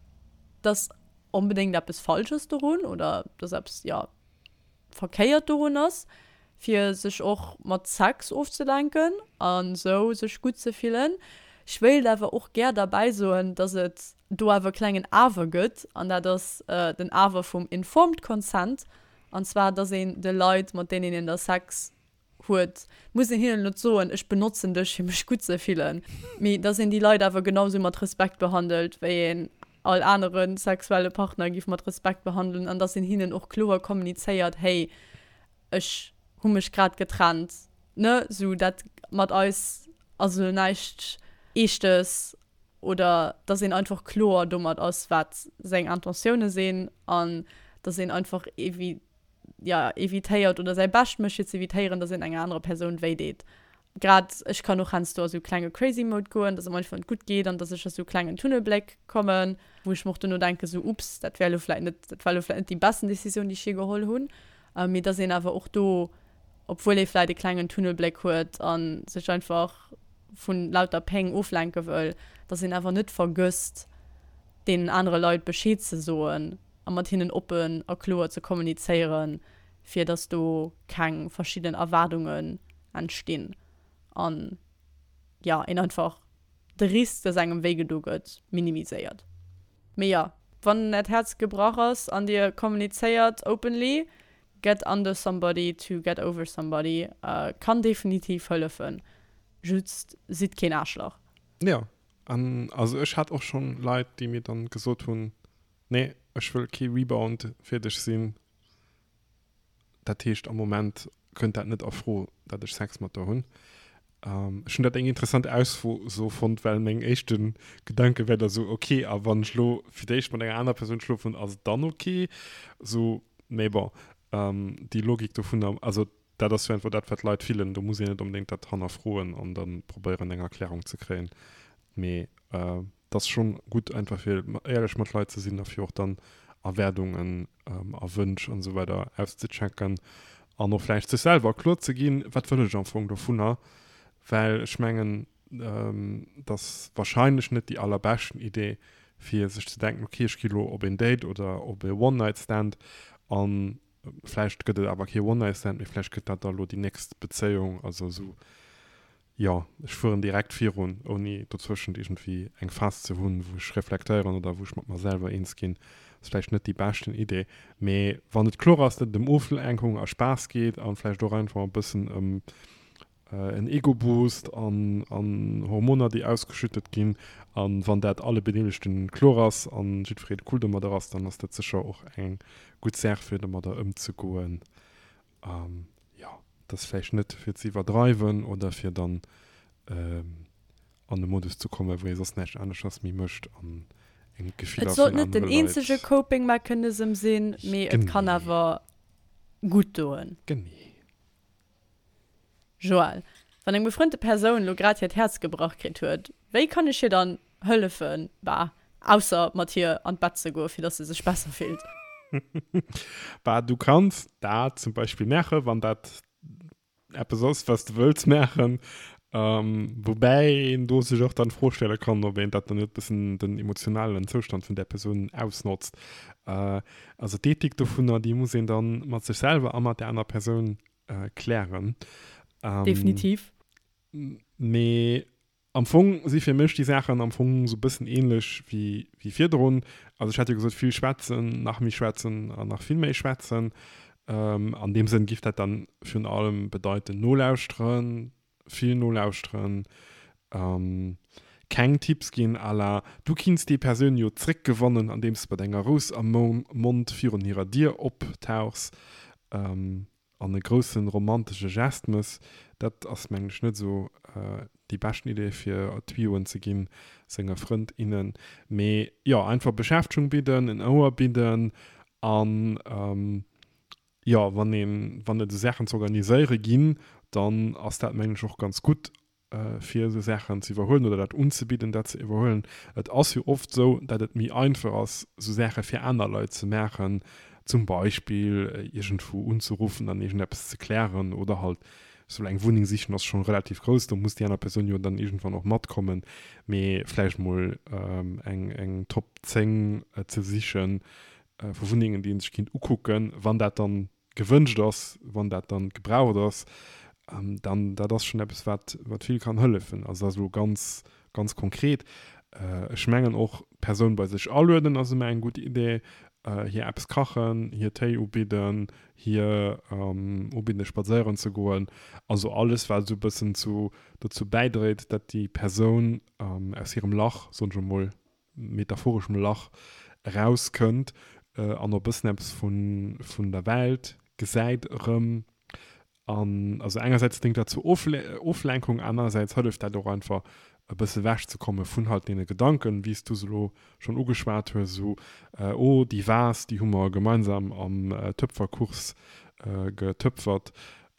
dass onbedéngt eppes falsch ass dorun oder dass eppes, jo, verkéiert dorun ass, fir sech och mat Sex ofzelenken a sou sech gutt ze fillen. Ech wéilt awer och gär derbäi soen, dass et do awer e klengen Awer gëtt, an dat ass den Awer vum informed consent, an zwar dass een de Leit, mat deenen een da Sex huet, muss een hinnen net soen, ech benotzen dech fir mech gutt ze fillen, mee dass een déi Leit awer genau sou mat Respekt behandelt, wéi een all anere sexuelle Partner giff mat Respekt behandelen an dass een hinnen och kloer kommunizéiert, hey, ech hu mech grad getrennt, ne, sou dat mat eis ass elo näischt Eeschtes oder dass een einfach kloer domat ass, wat seng Intentioune sinn an dass een einfach evi ja, evitéiert oder säi Bescht mécht fir ze evitéieren, dass een enger anerer Persoun wéi deet. Grad ech kann och heiansdo a sou klenge Crazy Mode goen, dass et mer einfach net gutt geet an dass ech a sou klengen Tunnelbléck kommen, wou ech mer och duerno denken, sou ups, dat wär elo vläit net, dat war elo vläit net déi besten Decisioun, déi ech je geholl hunn. Mee dass een awer och do, obwuel ee vläit e klengen Tunnelbléck huet a sech einfach vu lauter Péng oflenke wëll, dass een awer net vergësst, deenen anere Leit Bescheed ze soen, a mat hinnen oppen a kloer ze kommunizéieren, fir dass do keng verschidden Erwaardungen entstinn an, jo, een einfach de Risk, dass engem wéi gedo gëtt, minimiséiert. Mee jo, wann äert Häerz gebrach ass an dir kommunizéiert openly, get under somebody to get over somebody kann definitiv hëllefen. Just sidd keen Aarschlach. Jo, an also ech hat och schonn Leit, déi mir dann gesot hunn, Nee, ech wëll kee Rebound fir dech sinn. Dat heescht, am Moment kënnt dat net a Fro, dat ech Sex mat der hunn. Ech hunn dat eng interessant Ausso fonnt, well meng éischte Gedanke wär da sou, ok, a wann ech lo fir d'éischt mat enger anerer Persoun schlofen, ass et dann ok? Sou, mee bon, déi Logik dovunner, also dat ass jo einfach dat, wat d'Leit fillen, do muss een net onbedéngt dat hannerfroen an da probéieren, eng Erklärung ze kréien. Mee et ass schonn gutt einfach fir éierlech mat Leit ze sinn a fir och dann Erwaardungen a Wënsch an esou weider auszechecken an och vläicht sech selwer kloer ze ginn, wat wëll ech am Fong dovunner, well ech mengen, et ass wahrscheinlech net déi allerbeschten Idee fir sech ze denken, okay ech gi lo op een Date oder op e One-Night-Stand an vläicht gëtt et awer kee One-Night-Stand, mee vläicht gëtt dat da lo déi nächst Bezéiung, also esou Jo, ech fueren direkt virun, ouni dozwëschent iergendwéi eng Phas ze hunn, wou ech reflektéieren oder wou ech mat mer selwer eens ginn. Ass vläicht net déi beschten Idee, mee wann et kloer ass, datt et ëm Oflenkung a Spaass geet an vläicht och einfach e bëssen ëm en Ego-Boost an Hormoner, déi ausgeschüttet ginn, an wann dat alle Bedeelegten kloer ass an jiddweree cool domadder ass, dann ass dat sécher och eng gutt Saach fir domadder ëmzegoen. An jo, et ass vläicht net fir ze iwwerdreiwen oder fir dann an e Modus ze kommen, wou ee soss näischt aneschters méi mécht an eng Et d'Gefiller sollt vun net den anere Leit. eenzege Coping Mechanism sinn, mee et kann Genee. awer gutt doen. Genee. Joël, Wann eng befrënnte Persoun lo grad hiert Häerz gebrach kritt huet, wéi kann ech hir dann hëllefen? Bah, ausser mat hir an d'Bett ze goen, fir dass se sech besser fillt. Bah, du kanns dat zum Beispill maachen, wann dat eppes ass, wat s de wëlls maachen. Woubäi een do sech och dann d'Fro stelle kann, ob een dat dann net e bëssen den emotionalen Zoustand vun där Persoun ausnotzt. Also d'Ethik dovunner, déi muss een dann mat sech selwer a mat där aner Persoun klären. Definitiv. Mee am Fong si fir mech déi Saachen am Fong esou e bëssen ähnlech wéi virdrun. Also ech hat jo gesot, vill schwätzen, nach méi schwätzen an nach vill méi schwätzen. An deem Sënn giff dat dann virun allem bedeiten, nolauschteren, vill nolauschteren, keng Tipps ginn à la, du kinns déi Persoun jo zréckgewannen andeems de mat enger Rous am Mond virun hirer Dier optauchs. An e groussen romantesche Gest mëss, dat ass mengen ech net esou déi beschten Idee fir Tuyauxen ze ginn senge Frënd, innen. Mee jo, einfach Beschäftegung bidden, en Ouer bidden an jo, wann een, wann et esou Saachen ze organiséiere ginn, dann ass dat mengen ech och ganz gutt fir esou Saachen ze iwwerhuelen oder dat unzebidden, dat ze iwwerhuelen. Et ass jo oft esou, dat et méi einfach ass, esou Saache fir aner Leit ze maachen, zum Beispill iergendwou unzeruffen an iergendeppes ze klären oder halt esou eng Wunneng sichen ass schonn relativ grouss, do muss déi aner Persoun jo dann iergendwann och matkommen, mee vläicht mol eng eng Top 10 ze sichen vu Wunnengen, déi ee sech kinnt ukucken, wann dat dann gewënscht ass, wann dat dann gebraucht ass, dann dat ass schonn eppes, wat, wat vill kann hëllefen. Also dat ass elo ganz, ganz konkret. Ech mengen och, d'Persoun bei sech alueden ass ëmmer eng gutt Idee, hir eppes kachen, hir Téi ubidden, hir ubidden spadséieren ze goen. Also alles, wat esou e bëssen zu, dozou bäidréit, datt déi Persoun aus hirem Lach, soen ech emol, metaphoreschem Lach erauskënnt an och e bëssen eppes vun der Welt gesäit erëm. An also engersäits déngt dat zur Oflenkung, anerersäits hëlleft dat och einfach e bësse wechzekomme vun halt deene Gedanken, wéi s du se elo schonn ugeschwat hues, esou, oh déi Vase, déi hu mer gemeinsam am Töpferkurs getöpfert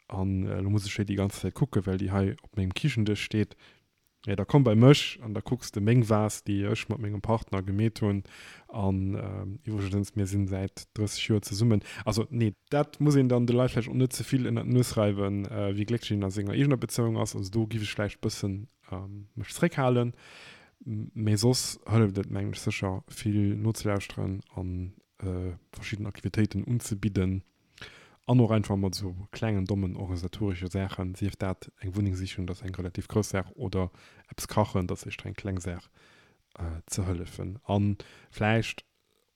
an elo muss ech déi déi ganz Zäit kucken, well déi hei op mengem Kichendësch steet. Jo, da komm bei mech an da kucks de meng Vase, déi ech mat mengem Partner gemeet hunn. An iwwregens, mir sinn säit 30 Joer zesummen. Also, nee, dat muss een dann de Leit vläicht och net ze vill ënnert d'Nues reiwen, wéi glécklech een a senger eegener Bezéiung ass. Also do giff ech vläicht bëssen mech zréckhalen. Mee soss hëlleft et, mengen ech, sécher vill nozelauschteren an verschidden Aktivitéiten unzebidden. An och einfach mat esou klengen, dommen organisatoresche Saachen, sief dat eng Wunneng sichen, dat ass eng relativ grouss Saach, oder eppes kachen, dat ass éischter eng kleng Saach, ze hëllefen. A vläicht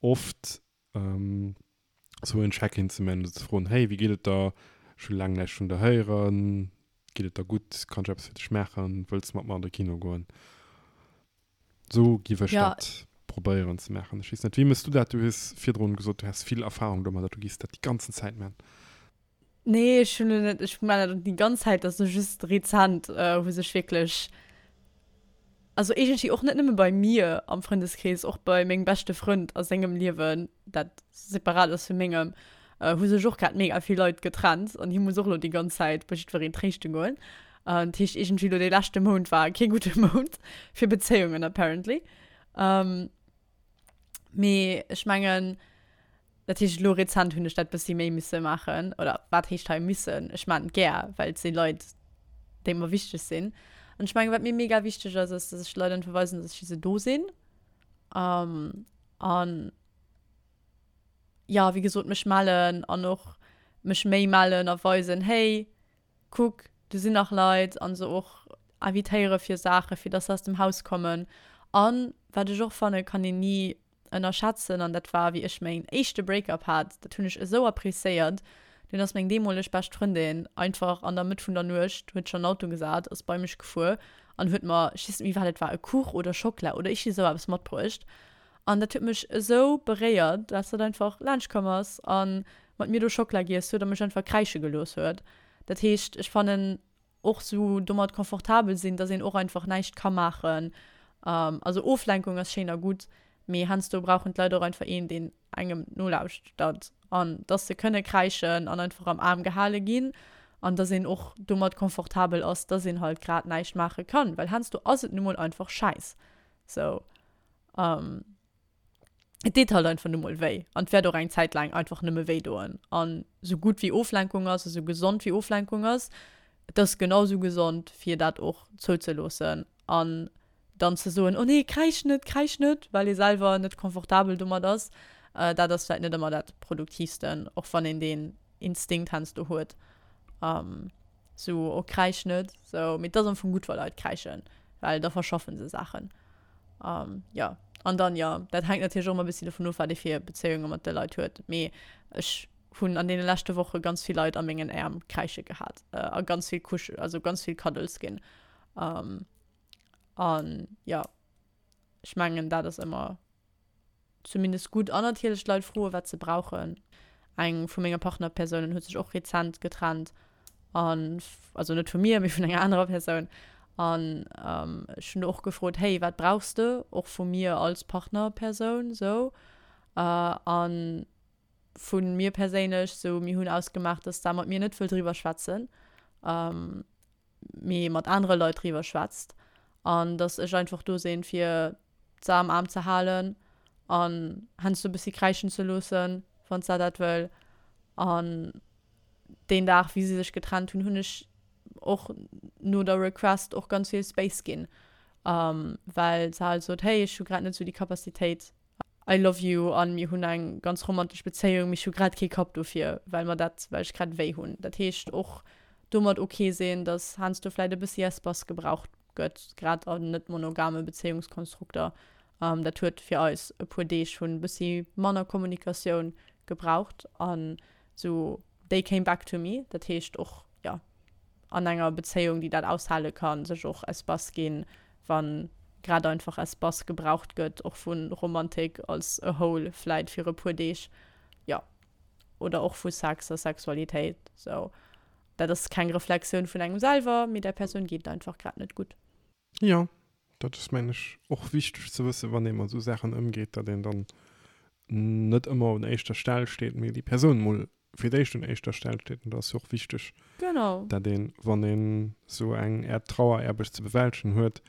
oft esou en Check-in ze man, ze froen, Hey, wéi geet et der? Ech hu laang näischt vun der héieren. Geet et der gutt? Kann ech eppes fir dech maachen? Wëlls de mat mer an de Kino goen? Sou giff ech Ja. dat probéieren ze maachen. Ech weess net, wéi mëss du dat? Du hues virdrun gesot, du häss vill Erfahrung domadder, du giffs dat déi ganzen Zäit man. Nee, ech hunn net, ech man dat déi ganz Zäit, dat ass just rezent, wou sech wierklech, also iergendwéi och net nëmme bei mir am Frëndeskrees, och bei mengem beschte Frënd a sengem Liewen, dat separat ass vu mengem, hu sech och grad mega vill Leit getrennt an hie muss och elo déi ganz Zäit bei jiddwereen tréischte goen. Dat heescht iergendwéi elo dee leschte Mount war kee gudde Mount fir Bezéiungen apparently. Mee ech mengen, dat heescht elo rezent hunn ech dat bëssi méi misse maachen. Oder wat heescht hei missen? Ech maachen et gär, well et si Leit, déi mer wichteg sinn. An ech mengen, wat mir mega wichteg ass, ass, dass ech de Leit einfach weisen, dass ech fir se do sinn. An jo, wéi gesot, mech mellen an och mech méi mellen a weisen, hey, kuck, do sinn nach Leit an se och invitéiere fir Saachen, fir dass se aus dem Haus kommen. An wat ech och fannen, kann een ni ënnerschätzen, an dat war wéi ech mäin éischte Breakup hat, dat hunn ech esou appréciéiert, dunn ass meng deemoleg bescht Frëndin einfach an der Mëtt vun der Nuecht, huet sech an den Auto gesat, ass bei mech gefuer an huet mer, ech weess net méi wat et war, e Kuch oder Schockela oder iergdi esou eppes matbruecht. An dat huet mech esou beréiert, dass dat einfach laanscht komm ass a mat mir do Schockela giess huet a mech einfach kräische gelooss huet. Dat heescht, ech fannen och sou domat confortabel sinn, dass een och einfach näischt ka maachen. Also Oflenkung ass schéin a gutt, mee heiansdo brauchen d'Leit och einfach een, deen engem nolauschtert an dass se kënne kräischen an einfach am Aarm gehale ginn an dass een och domat confortabel ass, dass een halt grad näischt maache kann, well heiansdo ass et nu mol einfach schäiss. Sou. Um, et deet halt einfach nu mol wéi an et wäert och eng Zäit laang einfach nëmme wéi doen. An sou gutt wéi Oflenkung ass a sou gesond wéi Oflenkung ass, et ass genau sou gesond fir dat och zouzeloossen an dann ze soen, oh nee, kräisch net, kräisch net, well ee selwer net confortabel domat ass. Äh, dat ass vläit net ëmmer dat Produktiivsten, och wann een deen Instinkt heiansdo huet. Um, sou, oh kräisch net, sou, mee et ass am Fong gutt wa Leit kräischen, well da verschaffen se Saachen. Um, ja. An dann, ja, dat hänkt natierlech och ëmmer e bëssi dovun of, wat ee fir Bezéiunge mat de Leit huet. Mee ech hunn an deene leschte Woche ganz vill Leit a mengen Äerm kräische gehat a ganz vill Kusch, also ganz vill Cuddles ginn. Um, an ja, ech mengen, dat ass ëmmer zumindest gutt. An natierlech d'Leit froen, wat se brauchen. Eng vu menge Partnerpersounen huet sech och rezent getrennt an, also net vu mir, mee vun enger anerer Persoun. An ech hunn do och gefrot, hey, wat brauchs de och vu mir als Partnerpersoun sou? An vu mir perséinlech sou, mir hunn ausgemaach, dass d'Sam mat mir net wëll driwwer schwätzen. Mee mat anere Leit driwwer schwätzt an dass ech einfach do sinn, fir se am Aarm ze halen an heiansdo e bëssi kräischen ze loossen, wann se dat wëll. An deen Dag, wéi si sech getrennt hunn, hunn ech och no der Request och ganz vill Space ginn, well se halt sot, hey, ech hu grad net esou déi Capacitéit, I love you an mir hunn eng ganz romantesch Bezéiung, mee ech hu grad kee Kapp dofir, well mer dat, well ech grad wéi hunn. Dat heescht och domat ok sinn, dass heiansdo vläit e bëssi Espace gebraucht gëtt, grad an net monogame Bezéiungskonstrukter. Dat huet fir eis e puer Deeg vun e bëssi manner Kommunikatioun gebraucht an sou they came back to me. Dat heescht och, jo, an enger Bezéiung, déi dat aushale kann, sech och Espace ginn, wa grad einfach Espace gebraucht gëtt, och vu Romantik als a whole vläit fir e puer Deeg, jo, oder och vu Sex a Sexualitéit. Sou, dat ass keng Reflexioun vun engem selwer, mee där Persoun geet et einfach grad net gutt. Jo, dat ass mengen ech och wichteg ze wëssen, wann ee mat esou Saachen ëmgeet, datt een dann net ëmmer un éischter Stell steet, mee déi Persoun mol fir d'éischt un éischter Stell steet. An dat ass jo och wichteg, Genau. dat een, wann een esou eng Äert Traueraarbecht ze bewältegen huet,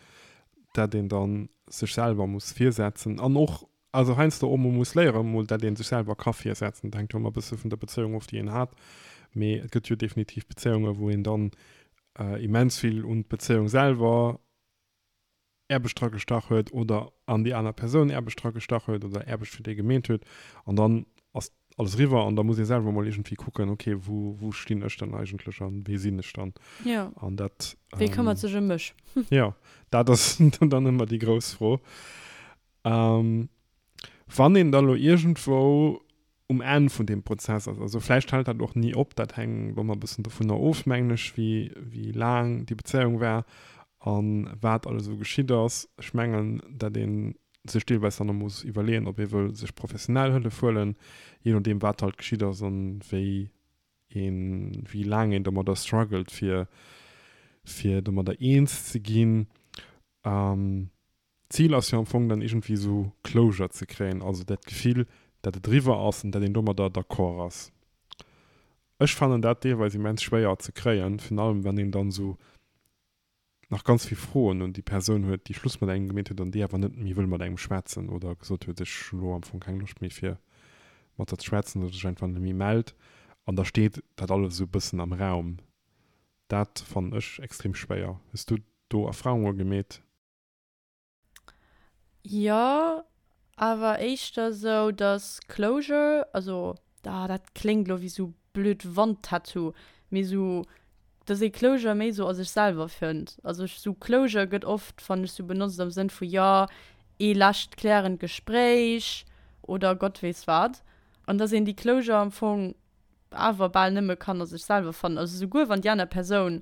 dat een dann sech selwer muss virsetzen an och, also heiansdo och mol muss léieren, mol dat ee sech selwer ka virsetzen. Dat hänkt jo ëmmer e bësse vun der Bezéiung of, déi een hat. Mee et gëtt jo definitiv Bezéiungen, wou een dann immens vill un d'Bezéiung selwer Aarbecht dra gestach huet oder an déi aner Persoun Aarbecht dra gestach huet oder Aarbecht fir déi gemeet huet an dann ass alles eriwwer an da muss ee selwer mol iergendwéi kucken, okay, wou, wou stinn ech dann eigentlech an wee sinn ech dann? Jo. An dat. Wee këmmert sech ëm mech? Jo, dat ass dann ëmmer déi grouss Fro. Wann een da lo iergendwou um Enn vun deem Prozess ass. Also vläicht hält dat och ni op, dat hänkt ëmmer e bëssen dovunner of, mengen ech, wéi, wéi laang déi Bezéiung war a wat alles esou geschitt ass. Ech mengen, datt ee sech deelweis dann och muss iwwerleeën, ob ee wëll sech professionell Hëllef huelen, jee nodeem wat halt geschitt ass an wéi. Een, wéi laang een domadder struggelt, fir, fir domadder eens ze ginn. D'Zil ass jo am Fong dann iergendwéi esou Closure ze kréien, also dat Gefill, dat et eriwwer ass an dat een domadder d'accord ass. Ech fannen dat deelweis immens schwéier ze kréien, virun allem wann een dann esou nach ganz vill Froen un déi Persoun huet, déi Schluss mat engem gemeet huet an déi awer net méi wëll mat engem schwätzen oder gesot huet, ech hu lo am Fong keng Loscht méi fir mat der ze schwätzen oder sech einfach net méi mellt an da steet dat alles esou e bëssen am Raum. Dat fannen ech extrem schwéier. Hues du do Erfahrunge gemeet? Jo, awer éischter sou, dass Closure, also ah dat kléngt lo wéi sou blöd Wandtattoo, mee sou dass ee Closure méi sou a sech selwer fënnt. Also sou Closure gëtt oft, fannen ech, sou benotzt am Sënn vu jo, ee lescht klärend Gespréich oder Gott weess wat. An dass een déi Closure am Fong awer bal nëmme kann a sech selwer fannen. Also souguer wann déi aner Persoun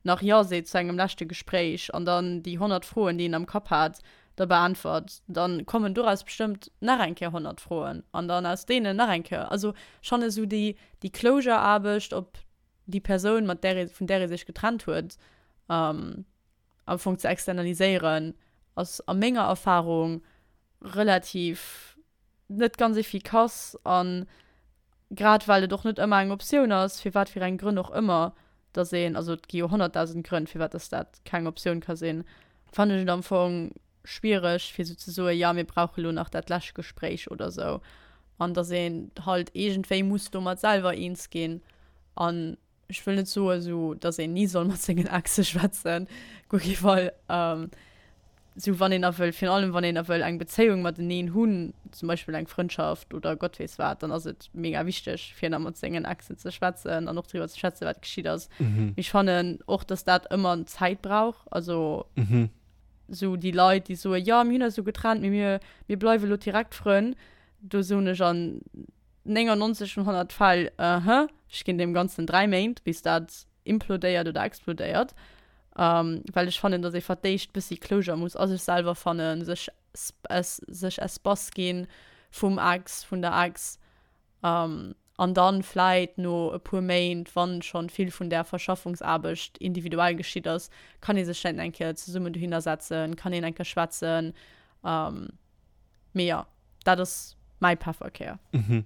nach Jo seet zu engem leschte Gespréich an dann déi 100 Froen, déi een am Kapp hat, da beäntwert, da kommen doraus bestëmmt nach eng Kéier 100 Froen an dann aus deenen nach eng Kéier. Also schonn esou déi, déi Closure-Aarbecht op déi Persoun, mat där ee, vun där ee sech getrennt huet, am Fong ze externaliséieren, ass a menger Erfarung relativ net ganz efficace an grad well et och net ëmmer eng Optioun ass, fir wat fir eng Grënn och ëmmer, dass een, also et gi jo 100.000 Grënn, firwat dass dat keng Optioun ka sinn, fannen ech et am Fong schwiereg fir esou ze soen, jo mir brauche lo nach dat lescht Gespréich oder esou an dass een halt iergendwéi muss domat selwer eens ginn an Ech wëll net soen, esou, dass een ni soll mat sengen Exe schwätzen, guer kee Fall. Esou wann een a wëll, virun allem wann een a wëll eng Bezéiung mateneen hunn, zum Beispill eng Frëndschaft oder Gott weess wat, dann ass et mega wichteg, fir nach mat sengen Exen ze schwätzen an och driwwer ze schwätzen, wat geschitt ass. Mee ech fannen och, dass dat ëmmer Zäit brauch. Also esou déi Leit, déi soen, jo mir hunn eis elo getrennt, mee mir, mir bleiwe lo direkt Frënn, do soen ech an 99 vun 100 Fäll, uh-huh, ech ginn deem Ganzen 3 Méint, bis dat implodéiert oder explodéiert. Well ech fannen, datt ee fir d'éischt bëssi Closure muss a sech selwer fannen, sech sech Espace gi vum Ex, vun der Ex. An dann vläit no e puer Méint, wann schonn vill vun där Verschaffungsaarbecht individuell geschitt ass, kann ee sech vläit eng Kéier zesummen dohinner setzen, kann een eng Kéier schwätzen. Mee jo, dat ass mäi Pefferkär. Mhm.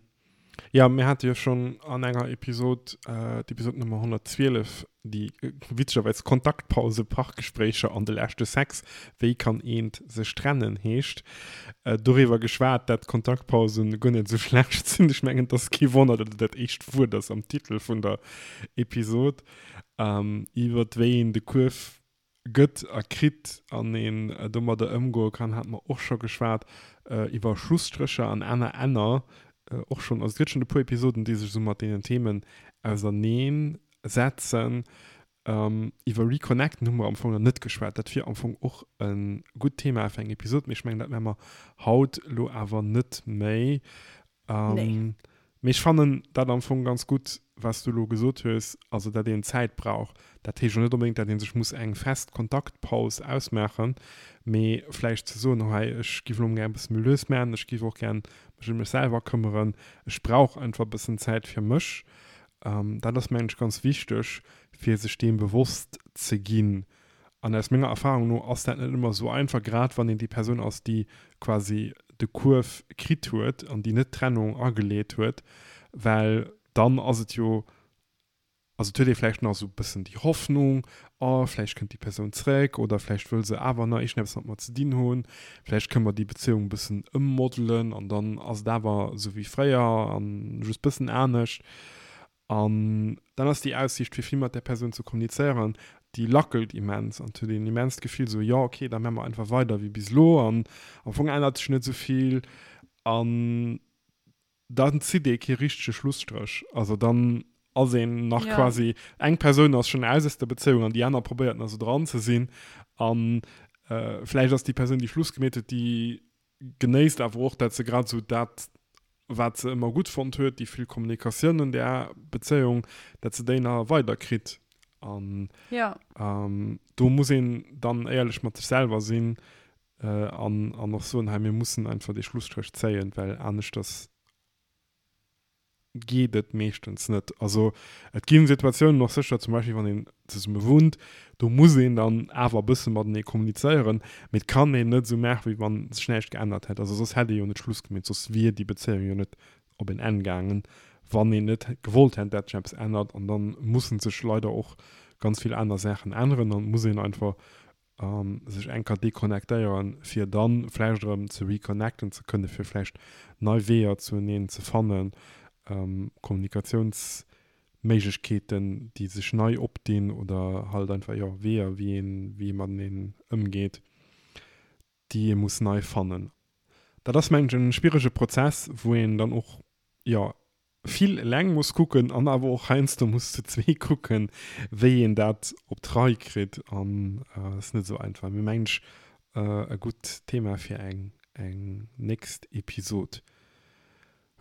Ja, mir hate jo schonn an enger Episod, d'Episod Nummer 112, déi witzegerweis Kontaktpause, Parkgespréicher an de leschte Sex, wéi kann eent sech trennen heescht, doriwwer geschwat, dat Kontaktpausen guer net esou schlecht sinn. Ech mengen, et ass kee Wonner, datt et dat éischt Wuert ass am Titel vun der Episod, iwwer wéi een de Kuerf gëtt a kritt an een domadder ëmgoe kann, hate mer och scho geschwat, iwwer Schlusstrécher an aner Enner och schonn. Also et gëtt schonn e puer Episoden, déi sech esou mat deenen Themen auserneen setzen. Iwwer Reconnecten hu mer am Fong nach net geschwat. Dat wier am Fong och e gutt Thema fir eng Episod, mee ech mengen, dat maache mer haut elo awer net méi. Nee. Mee ech fannen dat am Fong ganz gutt, wat s du elo gesot hues, also dat een Zäit brauch. Dat heescht jo net onbedéngt, dat ee sech muss eng fest Kontaktpaus ausmaachen, mee vläicht ze soen, hei ech giff elo gär e bësse méi lues maachen, ech giff och gär mech ëm mech selwer këmmeren, ech brauch einfach e bëssen Zäit fir mech. Dat ass mengen ech ganz wichteg, fir sech deem bewosst ze ginn. An aus menger Erfahrung no ass dat net ëmmer esou einfach, grad wann een déi Persoun ass, déi quasi de Kuerf kritt huet an déi net d'Trennung ageleet huet, well dann ass et jo, also et huet ee vläicht nach esou e bëssen déi Hoffnung, oh vläicht kënnt déi Persoun zréck oder vläicht wëll se awer nach iergendeppes mat mer ze dinn hunn, vläicht kënne mer déi Bezéiung e bëssen ëmmodelen an dann ass et awer esou wéi fréier an just bëssen anescht. An dann ass déi Aussiicht, fir vill mat där Persoun ze kommunizéieren, déi lackelt immens an et huet een immens d'Gefill esou, jo ok, da maache mer einfach weider wéi bis elo an am Fong ännert sech net esou vill. An dann zitt ee kee richtege Schlusstréch. Also dann ass een nach Ja. quasi, eng Persoun ass schonn aus aus der Bezéiung an déi aner probéiert nach esou dran ze sinn. An vläicht ass déi Persoun, déi Schluss gemeet huet, déi genéisst awer och, dat se grad esou dat, wat se ëmmer gutt fonnt huet, déi vill Kommunikatioun an där Bezéiung, dat se déi nach weider kritt. An ja. ähm, do muss een dann éierlech mat sech selwer sinn äh, an, an och soen, hei mir mussen einfach dee Schlusstréch zéien, well aneschters. Geet et meeschtens net. Also et ginn Situatiounen och sécher, zum Beispill wann een zesumme wunnt, do muss een dann awer e bësse matenee kommunizéieren, mee et kann een net esou maachen, wéi wann sech näischt geännert hätt. Also soss hätt ee jo net Schluss gemeet, soss wier déi Bezéiung jo net op en Enn gaangen, wann een net gewollt hätt, dat sech eppes ännert. An da mussen sech leider och ganz vill aner Saachen änneren an et muss een einfach sech eng Kéier deconnectéieren, fir dann vläicht erëm ze reconnecten ze kënnen, fir vläicht nei Weeër zueneen ze fannen, Kommunikatiounsméiglechkeeten, déi sech nei opdinn oder halt einfach, jo, Weeër, wéi een, wéi ee mateneen ëmgeet, déi ee muss nei fannen. Dat ass, mengen ech, en schwierege Prozess, wou een dann och, jo, vill eleng muss kucken an awer och heiansdo muss zu zwee kucken, wéi een dat op d'Rei kritt an ass net esou einfach. Mee mengen ech e gutt Thema fir eng eng nächst Episod.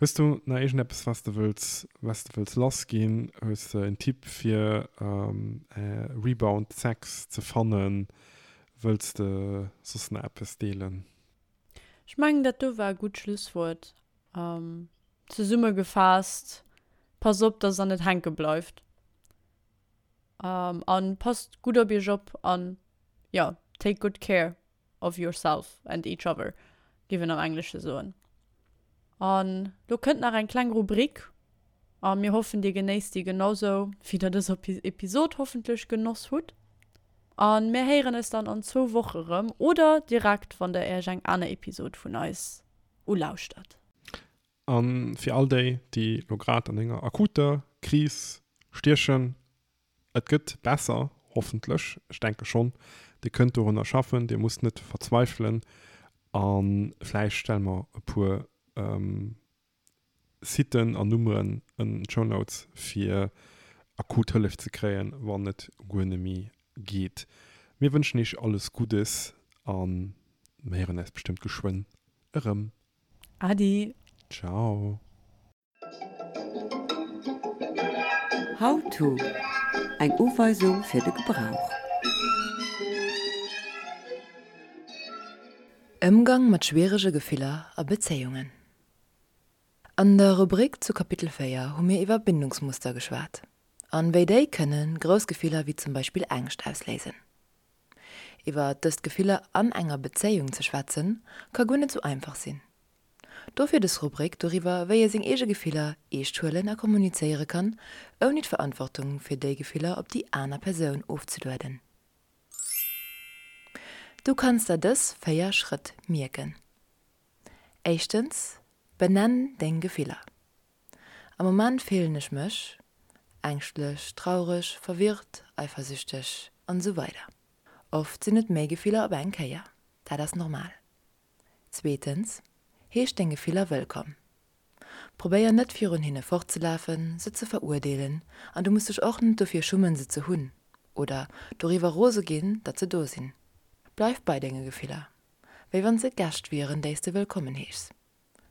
Hues du nach iergendeppes was de wëlls was de wëlls lass ginn? Hues de en Tipp fir Rebound Sex ze fannen? Wëlls de soss nach eppes deelen? Ech mengen dat do war e gutt Schlusswuert. Zesummegefaasst, Passt op, dass der net hänke bleift. An passt gutt op iech op an jo, take good care of yourself and each other, géif een am Englesche soen. An lo kënnt nach eng kleng Rubrik a mir hoffen, dir genéisst déi genausou, wéi der dës Episod hoffentlech genoss hutt. A mir héieren eis dann an zwou Woche rëm oder direkt, wann der iech eng aner Episod vun eis ulauschtert. A fir all déi, déi lo grad an enger akuter Kris stiechen, et gëtt besser, hoffentlech, ech denke schonn, dir kënnt dorunner schaffen, dir musst net verzweifelen a vläicht stelle mer e puer Siten an Nummeren an d'Show Notes fir akut Hëllef ze kréien, wann et guer net méi geet. Mir wënschen iech alles Guddes a mir héieren eis bestëmmt geschwënn erëm. Adi! Ciao! How to, Eng Uweisung fir de Gebrauch. Ëmgang mat schwierege Gefiller a Bezéiungen. An der Rubrik zu Kapitel 4 hu mir iwwer Bindungsmuster geschwat an wéi déi kënne grouss Gefiller wéi zum Beispill Ängscht ausléisen. Iwwer dëst Gefiller an enger Bezéiung ze schwätzen, ka guer net sou einfach sinn. Dofir dës Rubrik doriwwer, wéi ee seng eege Gefiller eescht huelen a kommunizéiere kann, ouni d'Verantwortung fir déi Gefiller op déi aner Persoun ofzelueden. Du kanns der dës 4 Schrëtt mierken. Éischtens, benenn deng Gefiller. Am Moment fillen ech mech, ängschtlech, traureg, verwirrt, eifersüchteg an esou weider Oft sinn et méi Gefiller op eng Kéier, dat ass normal. Zweetens, heesch deng Gefiller wëllkomm. Probéier net virun hinne fortzelafen, se ze verurdeelen an du muss dech och net dofir schummen se ze hunn oder doriwwer rose ginn, datt se do sinn. Bleif bei denge Gefiller. Wéi wann se Gäscht wieren, déi s de wëllkommen heeschs.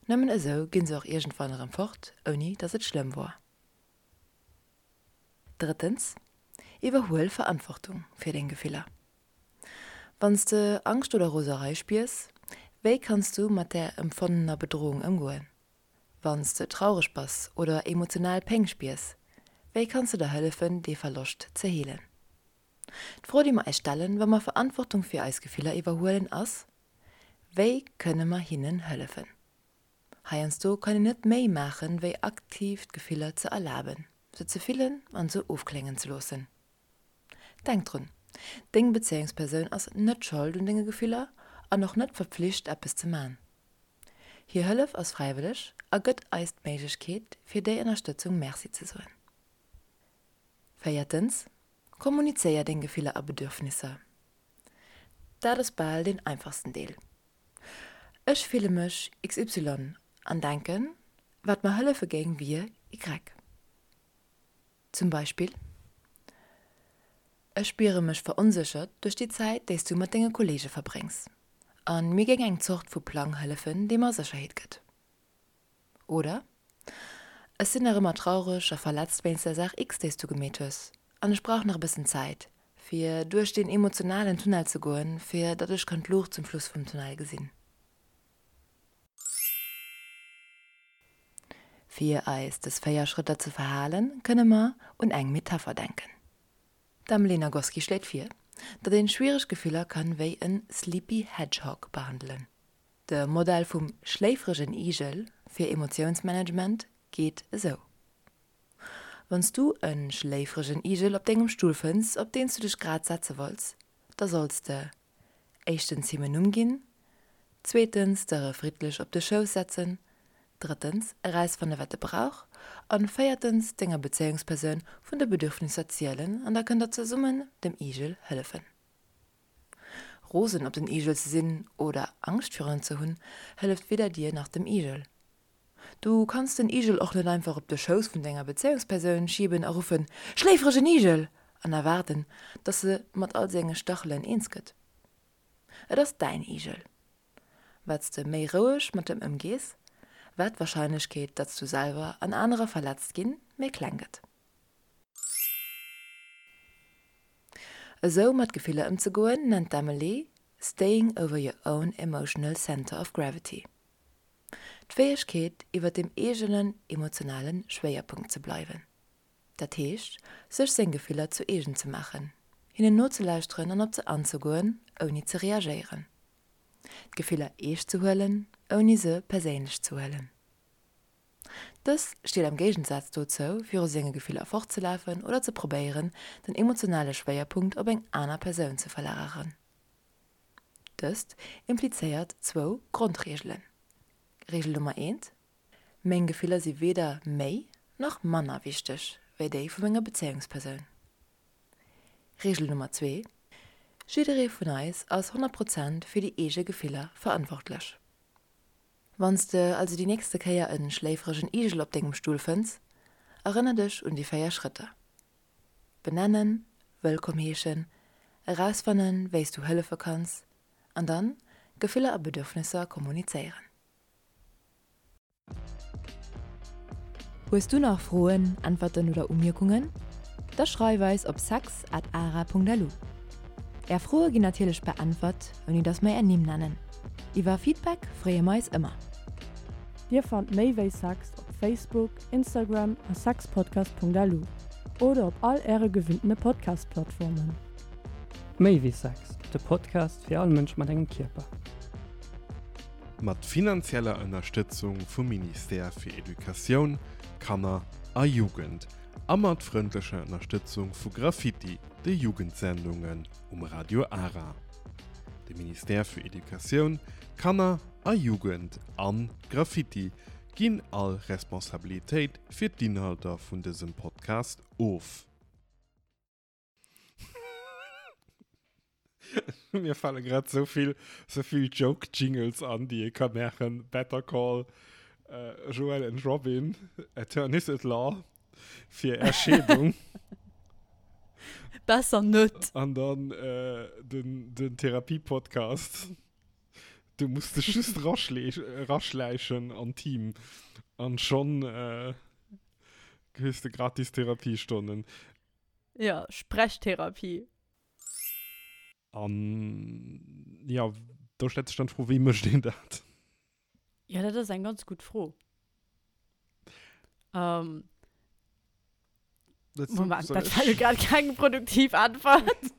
Nëmmen esou ginn se och iergendwann erëm fort, ouni datt et schlëmm wor. Drëttens, Iwwerhuel Verantwortung fir deng Gefiller. Wann s de Angscht oder Roserei spiers, wéi kanns du mat där empfonnener Bedroung ëmgoen? Wann s de traureg bass oder emotional Péng spiers, wéi kanns de der hëllefen, dee Verloscht ze heelen? D'Fro, déi mer eis stellen, wa mer Verantwortung fir eis Gefiller iwwerhuelen, ass, Wéi kënne mer hinnen hëllefen? Heiansdo kann een net méi maachen, wéi aktiv d'Gefiller ze erlaben, se ze fillen an se ofkléngen ze loossen. Denk drun, Deng Bezéiungspersoun ass net Schold un denge Gefiller an och net verpflicht, eppes ze man. Hir Hëllef ass fräiwëlleg a gëtt eis d'Méiglechkeet, fir déi Ënnerstëtzung Merci ze soen. Véiertens, Kommunizéier deng Gefiller a Bedürfnisser. Dat ass bal deen einfachsten Deel. Ech fille mech XY an denken, wat mer hëllefe géing wier Y. Zum Beispill, Ech spiere mech veronséchert duerch déi Zäit, déi s du mat denge Kolleege verbréngs, a mir géing eng Zort vu Plang hëllefen, dee mer Sécherheet gëtt. Oder, Ech sinn nach ëmmer traureg a verletzt wéinst der Saach X, déi s du gemeet hues, an ech brauch nach e bëssen Zäit, fir duerch deen emotionalen Tunnel ze goen, fir datt ech kann d'Luucht zum Schluss vum Tunnel gesinn. Fir eis dës 4 Schrëtter ze verhalen, kënne mer un eng Metapher denken. D'Emily Nagoski schléit vir, datt een schwiereg Gefiller kann wéi en Sleepy Hedgehog behandelen. De Modell vum schléifregen Igel fir Emotiounsmanagement geet esou, Wann s du e schléifregen Igel op dengem Stull fënns, op deen s du dech grad setze wollts, da solls de éischtens him en Numm ginn, zweetens der e friddlech op de Schouss setzen, drëttens erausfanne wat e brauch an véiertens denger Bezéiungspersoun vun de Bedürfnisser zielen an da kënnt der zesummen dem Igel hëllefen. Rosen op den Igel ze sinn oder Angscht virun en ze hunn, hëlleft weder dir nach dem Igel. Du kanns den Igel och net einfach op de Schouss vun denger Bezéiungspersoun schieben a ruffen, Schléifregen Igel! an erwaarden, dass se mat all senge Stachelen eens gëtt. Et ass däin Igel. Wat s de méi roueg mat em ëmgees, wat d'Warscheinlechkeet, datt s du selwer an anerer verletzt ginn, méi kleng gëtt. Esou mat Gefiller ëmzegoen, nennt d'Emily staying over your own emotional center of gravity. D'Fäegkeet, iwwer dem eegenen emotionale Schwéierpunkt ze bleiwen. Dat heescht, sech seng Gefiller zu eegen ze maachen, hinnen nozelauschteren an op se anzegoen, ouni ze reagéieren. D'Gefiller eescht ze huelen, ouni se perséinlech ze huelen. Dës steet am Géigensaz dozou, viru senge Gefiller fortzelafen oder ze probéieren, den emotionale Schwéierpunkt op eng aner Persoun ze verlageren. Dëst implizéiert zwou Grondreegelen. Reegel Nummer eent, Meng Gefiller si weder méi nach manner wichteg wéi déi vu menger Bezéiungspersoun. Reegel Nummer zwee, Jidderee vun eis ass 100 Prozent fir déi eege Gefiller verantwortlech. Wann s de also déi nächste Kéier e schléifregen Igel op dengem Stull fënns, erënner dech un déi 4 Schrëtter. Benennen, wëllkomm heeschen, erausfannen, wéi s du hëllefe kanns an dann Gefiller a Bedürfnisser kommunizéieren. Hues du nach Froen, Äntwerten oder Umierkungen? Da schreif eis op sex at ara.lu. Är Froe ginn natierlech beäntwert, ouni dass mer är Nimm nennen. Iwwer Feedback freeë mer eis ëmmer. Dir fannt méi wéi Sex op Facebook, Instagram a sexpodcast.lu oder op all äre gewinntene Podcast-Plattformen. Méi wéi Sex, de Podcast fir all Mënsch mat engem Kierper. Mat finanzieller Ënnerstëtzung vum Ministère fir Educatioun, Kanner a Jugend a mat frëndlecher Ënnerstëtzung vu Graffiti, de Jugendsendungen um Radio Ara. De Ministère fir Educatioun, Kanner a Jugend an Graffiti ginn all Responsabilitéit fir d'Inhalter vun dësem Podcast of. Mir fale grad sou vill, sou vill Joke-Jingles an, déi ee ka maachen. Better Call Joël and Robin, Attorneys at Law, fir Är Scheedung. Besser net. An dann den, den Therapie-Podcast. Du muss dech just raschläichen an d'Team an schonn hues de gratis Therapiestonnen. Ja, Sprechtherapie. An jo, do stellt sech dann d'Fro, wéi mécht een dat? Jo, dat ass eng ganz gutt Fro. Moment, dat war jo grad keng produktiv Äntwert.